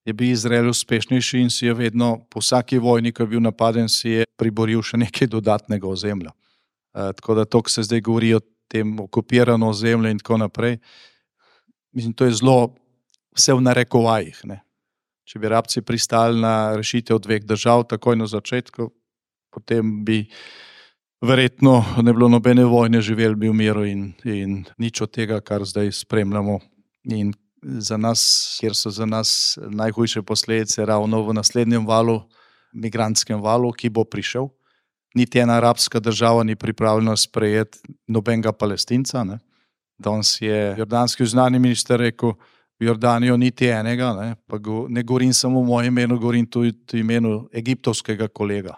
je bil Izrael uspešnejši in si je vedno po vsaki vojni, ko je bil napaden, si je priboril še nekaj dodatnega ozemlja. E, tako da to, ko se zdaj govori o tem okupirano ozemlje in tako naprej, mislim, to je zelo vse v narekovajih. Ne. Če bi Arabci pristali na rešitev dveh držav takoj na začetku, potem bi verjetno ne bilo nobene vojne, živeli bi v miru in, in nič od tega, kar zdaj spremljamo. In za nas, kjer so za nas najhujše posledice ravno v naslednjem valu, migrantskem valu, ki bo prišel. Niti ena arabska država ni pripravljena sprejeti nobenega Palestinca. Ne. Danes je jordanski zunanji minister rekel, v Jordanijo niti enega, ne, pa go, ne govorim samo v mojem imenu, govorim tudi v imenu egiptovskega kolega.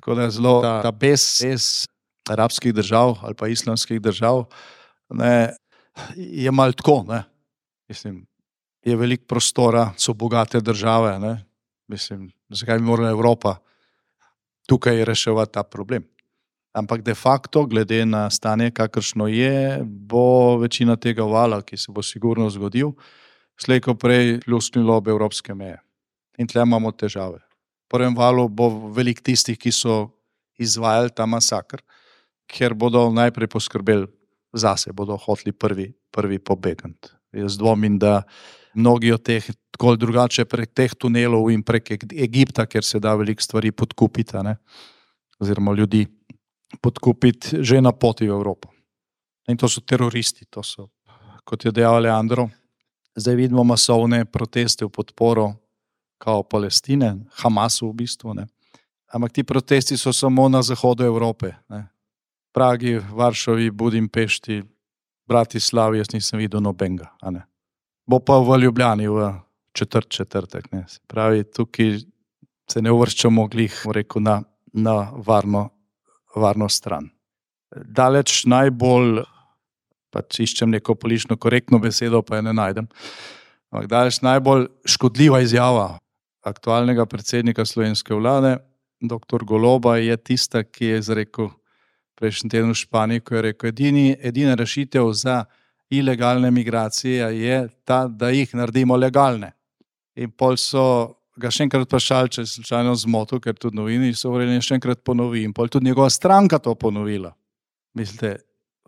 Tako da je zelo ta, ta bes, bes arabskih držav ali pa islamskih držav, ne, je malo tako. Ne. Mislim, je veliko prostora, so bogate države. Ne. Mislim, zakaj bi morala Evropa tukaj reševati ta problem? Ampak de facto, glede na stanje, kakršno je, bo večina tega vala, ki se bo sigurno zgodil, slej ko prej pljusnilo ob evropske meje. In tle imamo težave. V prvem valu bo veliko tistih, ki so izvajali ta masakr, ker bodo najprej poskrbeli zase, bodo hoteli prvi, prvi pobegant. Jaz dvomim, da mnogi od teh, tako drugače prek teh tunelov in prek Egipta, ker se da veliko stvari podkupiti, ne? Oziroma ljudi podkupiti že na poti v Evropo. In to so teroristi, to so, kot je dejal Leandro, zdaj vidimo masovne proteste v podporo kao Palestine, Hamasu v bistvu, ne. Ampak ti protesti so samo na zahodu Evrope, ne. Pragi, Varšavi, Budimpešti, Bratislavi, jaz nisem videl nobenega, a ne. Bo pa v Ljubljani v četrt četrtek, ne. Se pravi, tukaj se ne uvrščamo glih, rekel, na, na varno varno stran. Daleč najbolj, pač iščem neko politično korektno besedo, pa je ne najdem, ampak daleč najbolj škodljiva izjava aktualnega predsednika slovenske vlade, doktor Goloba, je tista, ki je izrekel prejšnji teden v Španiji, ko je rekel, edini, edina rešitev za ilegalne migracije je ta, da jih naredimo legalne. In pol so ga še enkrat vprašali, če je slučajno zmotil, ker tudi novini so govorili, še enkrat ponovi. In pol tudi njegova stranka to ponovila. Mislite,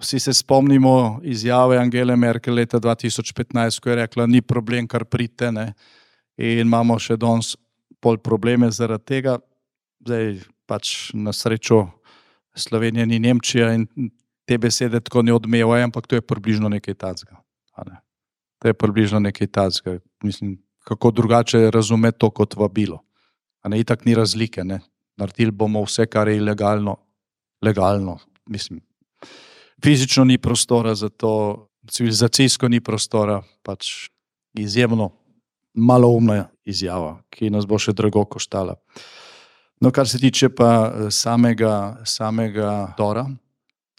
vsi se spomnimo izjave Angele Merkel leta dva tisoč petnajst, ko je rekla, ni problem, kar pridite, ne. In imamo še danes pol probleme zaradi tega. Zdaj pač na srečo Slovenija ni Nemčija in te besede tako ne odmevajo, ampak to je približno nekaj tacga. Ne? To je približno nekaj tacga. Mislim, kako drugače razumeti to kot vabilo. A ne, itak ni razlike, ne. Naredili bomo vse, kar je ilegalno, legalno. Mislim, fizično ni prostora za to, civilizacijsko ni prostora, pač izjemno maloumna izjava, ki nas bo še drago koštala. No, kar se tiče pa samega, samega Tora,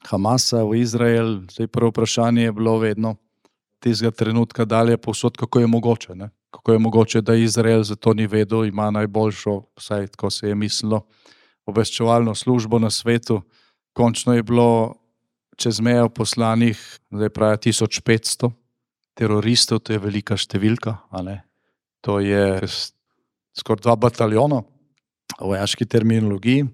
Hamasa v Izrael, zdaj prvo vprašanje je bilo vedno tistega trenutka dalje povsod, kako je mogoče, ne? Kako je mogoče, da Izrael za to ni vedel, ima najboljšo, vsaj tako se je mislilo, obveščevalno službo na svetu. Končno je bilo čez mejo poslanih, zdaj pravi tisoč petsto teroristov, to je velika številka, a ne? To je skoraj dva bataljona v vojaški terminologiji.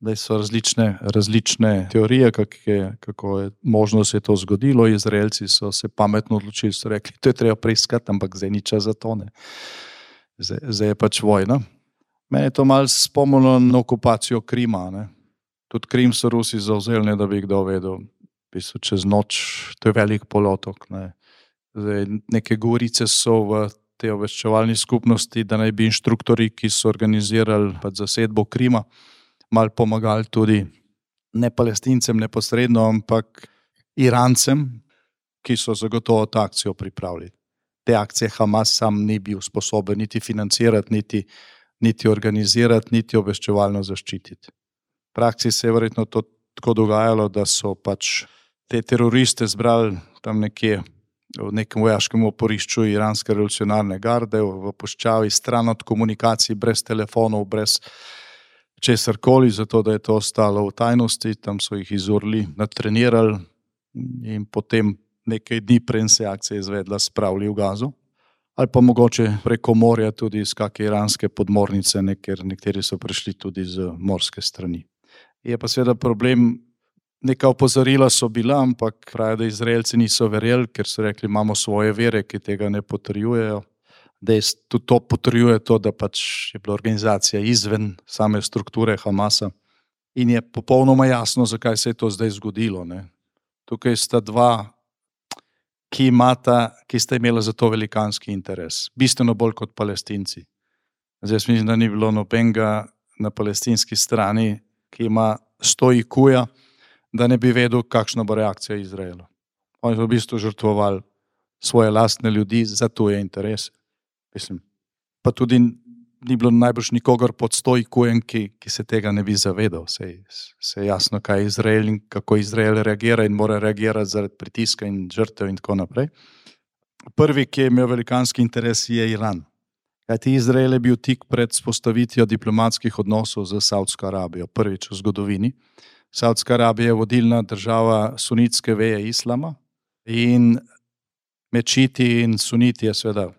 Zdaj so različne, različne teorije, kako je, kako je možno, da se je to zgodilo. Izraelci so se pametno odločili, so rekli, to je treba preiskati, ampak zdaj ni čas za to, ne. Zdaj, zdaj je pač vojna. Mene je to malo spomnilo na okupacijo Krima, ne. Tudi Krim so Rusi zavzeli, ne da bi kdo vedel. Pisal čez noč, to je velik polotok, ne. Zdaj, neke govorice so v tej obveščevalni skupnosti, da naj bi inštruktori, ki so organizirali pač zasedbo Krima, malo pomagali tudi ne Palestincem neposredno, ampak Irancem, ki so zagotovo to akcijo pripravili. Te akcije Hamas sam ni bil sposoben niti financirati, niti, niti organizirati, niti obveščevalno zaščititi. V praksi se je verjetno to tako dogajalo, da so pač te teroriste zbrali tam nekje v nekem vojaškem oporišču iranske revolucionarne garde, v puščavi, stran od komunikacij, brez telefonov, brez česarkoli, zato da je to ostalo v tajnosti. Tam so jih izurili, natrenirali in potem nekaj dni preden se akcija izvedla, spravili v Gazo. Ali pa mogoče preko morja tudi iz kakšne iranske podmornice, ne, ker nekateri so prišli tudi z morske strani. Je pa seveda problem, neka opozorila so bila, ampak pravi, da Izraelci niso verjeli, ker so rekli, imamo svoje vere, ki tega ne potrjujejo. Da je tudi to potrjuje to, da pač je bila organizacija izven same strukture Hamasa in je popolnoma jasno, zakaj se je to zdaj zgodilo, ne. Tukaj sta dva, ki imata, ki sta imela za to velikanski interes. Bistveno bolj kot Palestinci. Zdaj mislim, da ni bilo nobenega na palestinski strani, ki ima sto I Q-ja, da ne bi vedel, kakšna bo reakcija Izraela. Oni so v bistvu žrtvovali svoje lastne ljudi za tuje interese. Mislim, pa tudi ni bilo najbrž nikogar pod sto I Q-jem, ki, ki se tega ne bi zavedal. Se, se je jasno, kaj je Izrael in kako Izrael reagira in mora reagirati zaradi pritiska in žrtev in tako naprej. Prvi, ki je imel velikanski interes, je Iran. Kajti Izrael je bil tik pred vzpostavitvijo diplomatskih odnosov z Saudsko Arabijo, prvič v zgodovini. Saudska Arabija je vodilna država sunitske veje islama in mečiti in suniti je seveda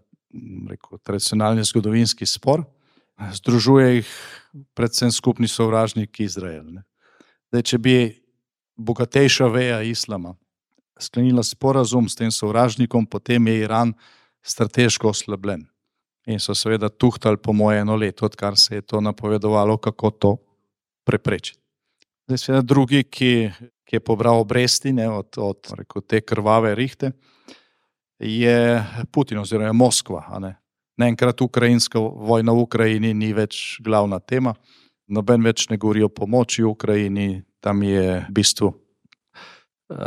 rekel, tradicionalni zgodovinski spor. Združuje jih predvsem skupni sovražnik Izrael. Ne. Zdaj, če bi bogatejša veja islama sklenila sporazum s tem sovražnikom, potem je Iran strateško oslabljen. In so seveda tuhtali po moje eno leto, odkar se je to napovedovalo, kako to preprečiti. Zdaj seveda drugi, ki, ki je pobral obresti ne, od, od rekel, te krvave rihte, je Putin oziroma Moskva. A ne. Naenkrat ukrajinska vojna v Ukrajini ni več glavna tema, noben več ne govori o pomoči v Ukrajini, tam je v bistvu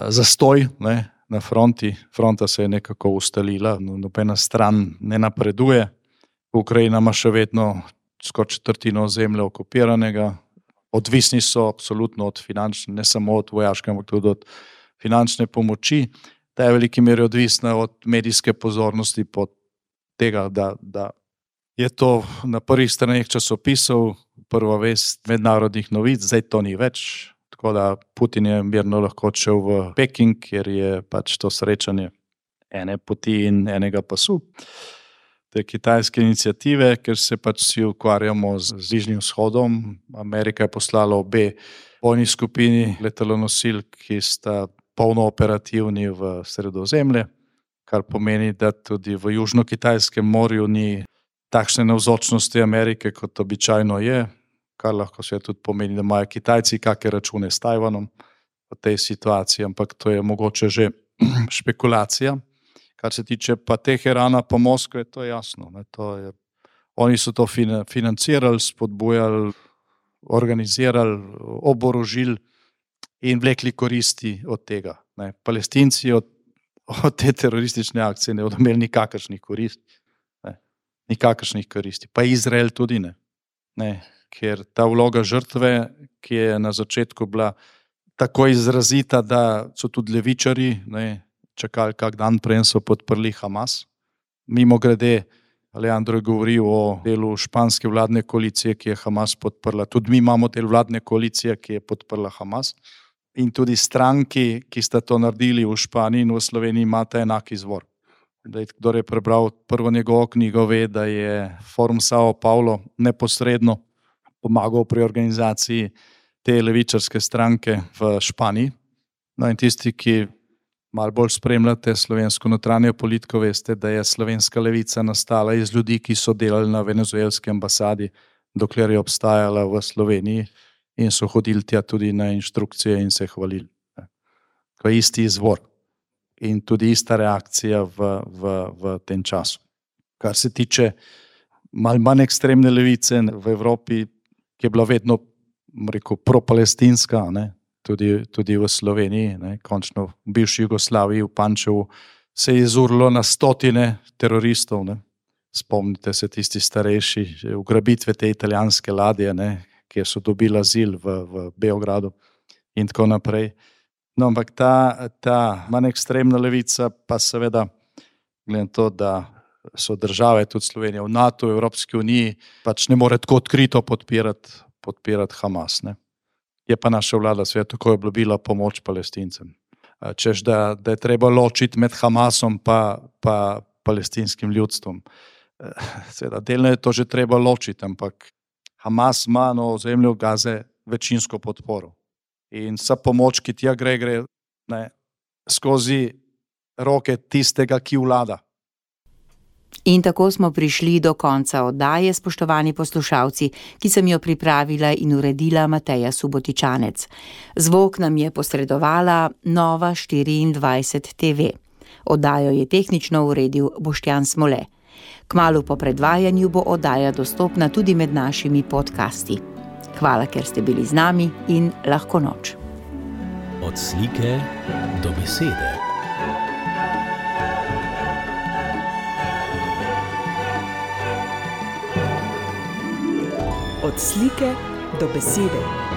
zastoj ne, na fronti, fronta se je nekako ustalila, nobena stran ne napreduje, Ukrajina ima še vedno skoraj četrtino ozemlja okupiranega, odvisni so absolutno od finančne, ne samo od vojaške, ampak tudi od finančne pomoči, ta je v veliki meri odvisna od medijske pozornosti, pod tega, da, da je to na prvih straneh časopisov, prva vest mednarodnih novic, zdaj to ni več, tako da Putin je mirno lahko odšel v Peking, kjer je pač to srečanje ene poti in enega pasu. Te kitajske iniciative, ker se pač vsi ukvarjamo z Bližnjim vzhodom, Amerika je poslala obe bojni skupini letalonosil, ki sta polno operativni v Sredozemlje, kar pomeni, da tudi v Južno-Kitajskem morju ni takšne navzočnosti Amerike, kot običajno je, kar lahko se tudi pomeni, da imajo Kitajci kakšne račune s Tajvanom v tej situaciji, ampak to je mogoče že špekulacija. Kar se tiče pa Teherana pa Moskve, to je jasno. Ne, to je, oni so to financirali, spodbujali, organizirali, oborožili in vlekli koristi od tega. Ne. Palestinci od od te teroristične akcije ne bodo imeli nikakršnih koristi. Ne, nikakršnih koristi. Pa Izrael tudi ne. Ne, ker ta vloga žrtve, ki je na začetku bila tako izrazita, da so tudi levičari ne, čakali kak dan, preden so podprli Hamas. Mimo grede, Alejandro je govoril o delu španske vladne koalicije, ki je Hamas podprla. Tudi mi imamo del vladne koalicije, ki je podprla Hamas. In tudi stranki, ki sta to naredili v Španiji in v Sloveniji, imata enak izvor. Kdor je prebral prvo njegovo knjigo, ve, da je Forum Sao Paulo neposredno pomagal pri organizaciji te levičarske stranke v Španiji. No in tisti, ki malo bolj spremljate slovensko notranjo politiko, veste, da je slovenska levica nastala iz ljudi, ki so delali na venezuelski ambasadi, dokler je obstajala v Sloveniji, in so hodili tja tudi na inštrukcije in se hvalili. To je isti izvor in tudi ista reakcija v, v, v tem času. Kar se tiče malo manj ekstremne levice v Evropi, ki je bila vedno rekel, pro-palestinska, ne, tudi, tudi v Sloveniji, ne, končno v bivši Jugoslaviji, v Pančevu, se je izurilo na stotine teroristov. Ne. Spomnite se tisti starejši, ugrabitve te italijanske ladje, ne, kjer so dobili azil v, v Beogradu in tako naprej. No, ampak ta, ta manj ekstremna levica pa seveda, glede na to, da so države, tudi Slovenija, v NATO, v Evropski uniji, pač ne more tako odkrito podpirati, podpirati Hamas. Ne. Je pa naša vlada seveda tako obljubila pomoč Palestincem. Češ, da, da je treba ločiti med Hamasom pa, pa palestinskim ljudstvom. Seveda, delno je to že treba ločiti, ampak Hamas ima na ozemlju Gaze večinsko podporo. In vsa pomoč, ki tja gre, gre ne, skozi roke tistega, ki vlada. In tako smo prišli do konca oddaje, spoštovani poslušalci, ki sem jo pripravila in uredila Mateja Subotičanec. Zvok nam je posredovala Nova štiriindvajset T V. Oddajo je tehnično uredil Boštjan Smole. Kmalu po predvajanju bo oddaja dostopna tudi med našimi podcasti. Hvala, ker ste bili z nami in lahko noč. Od slike do besede. Od slike do besede.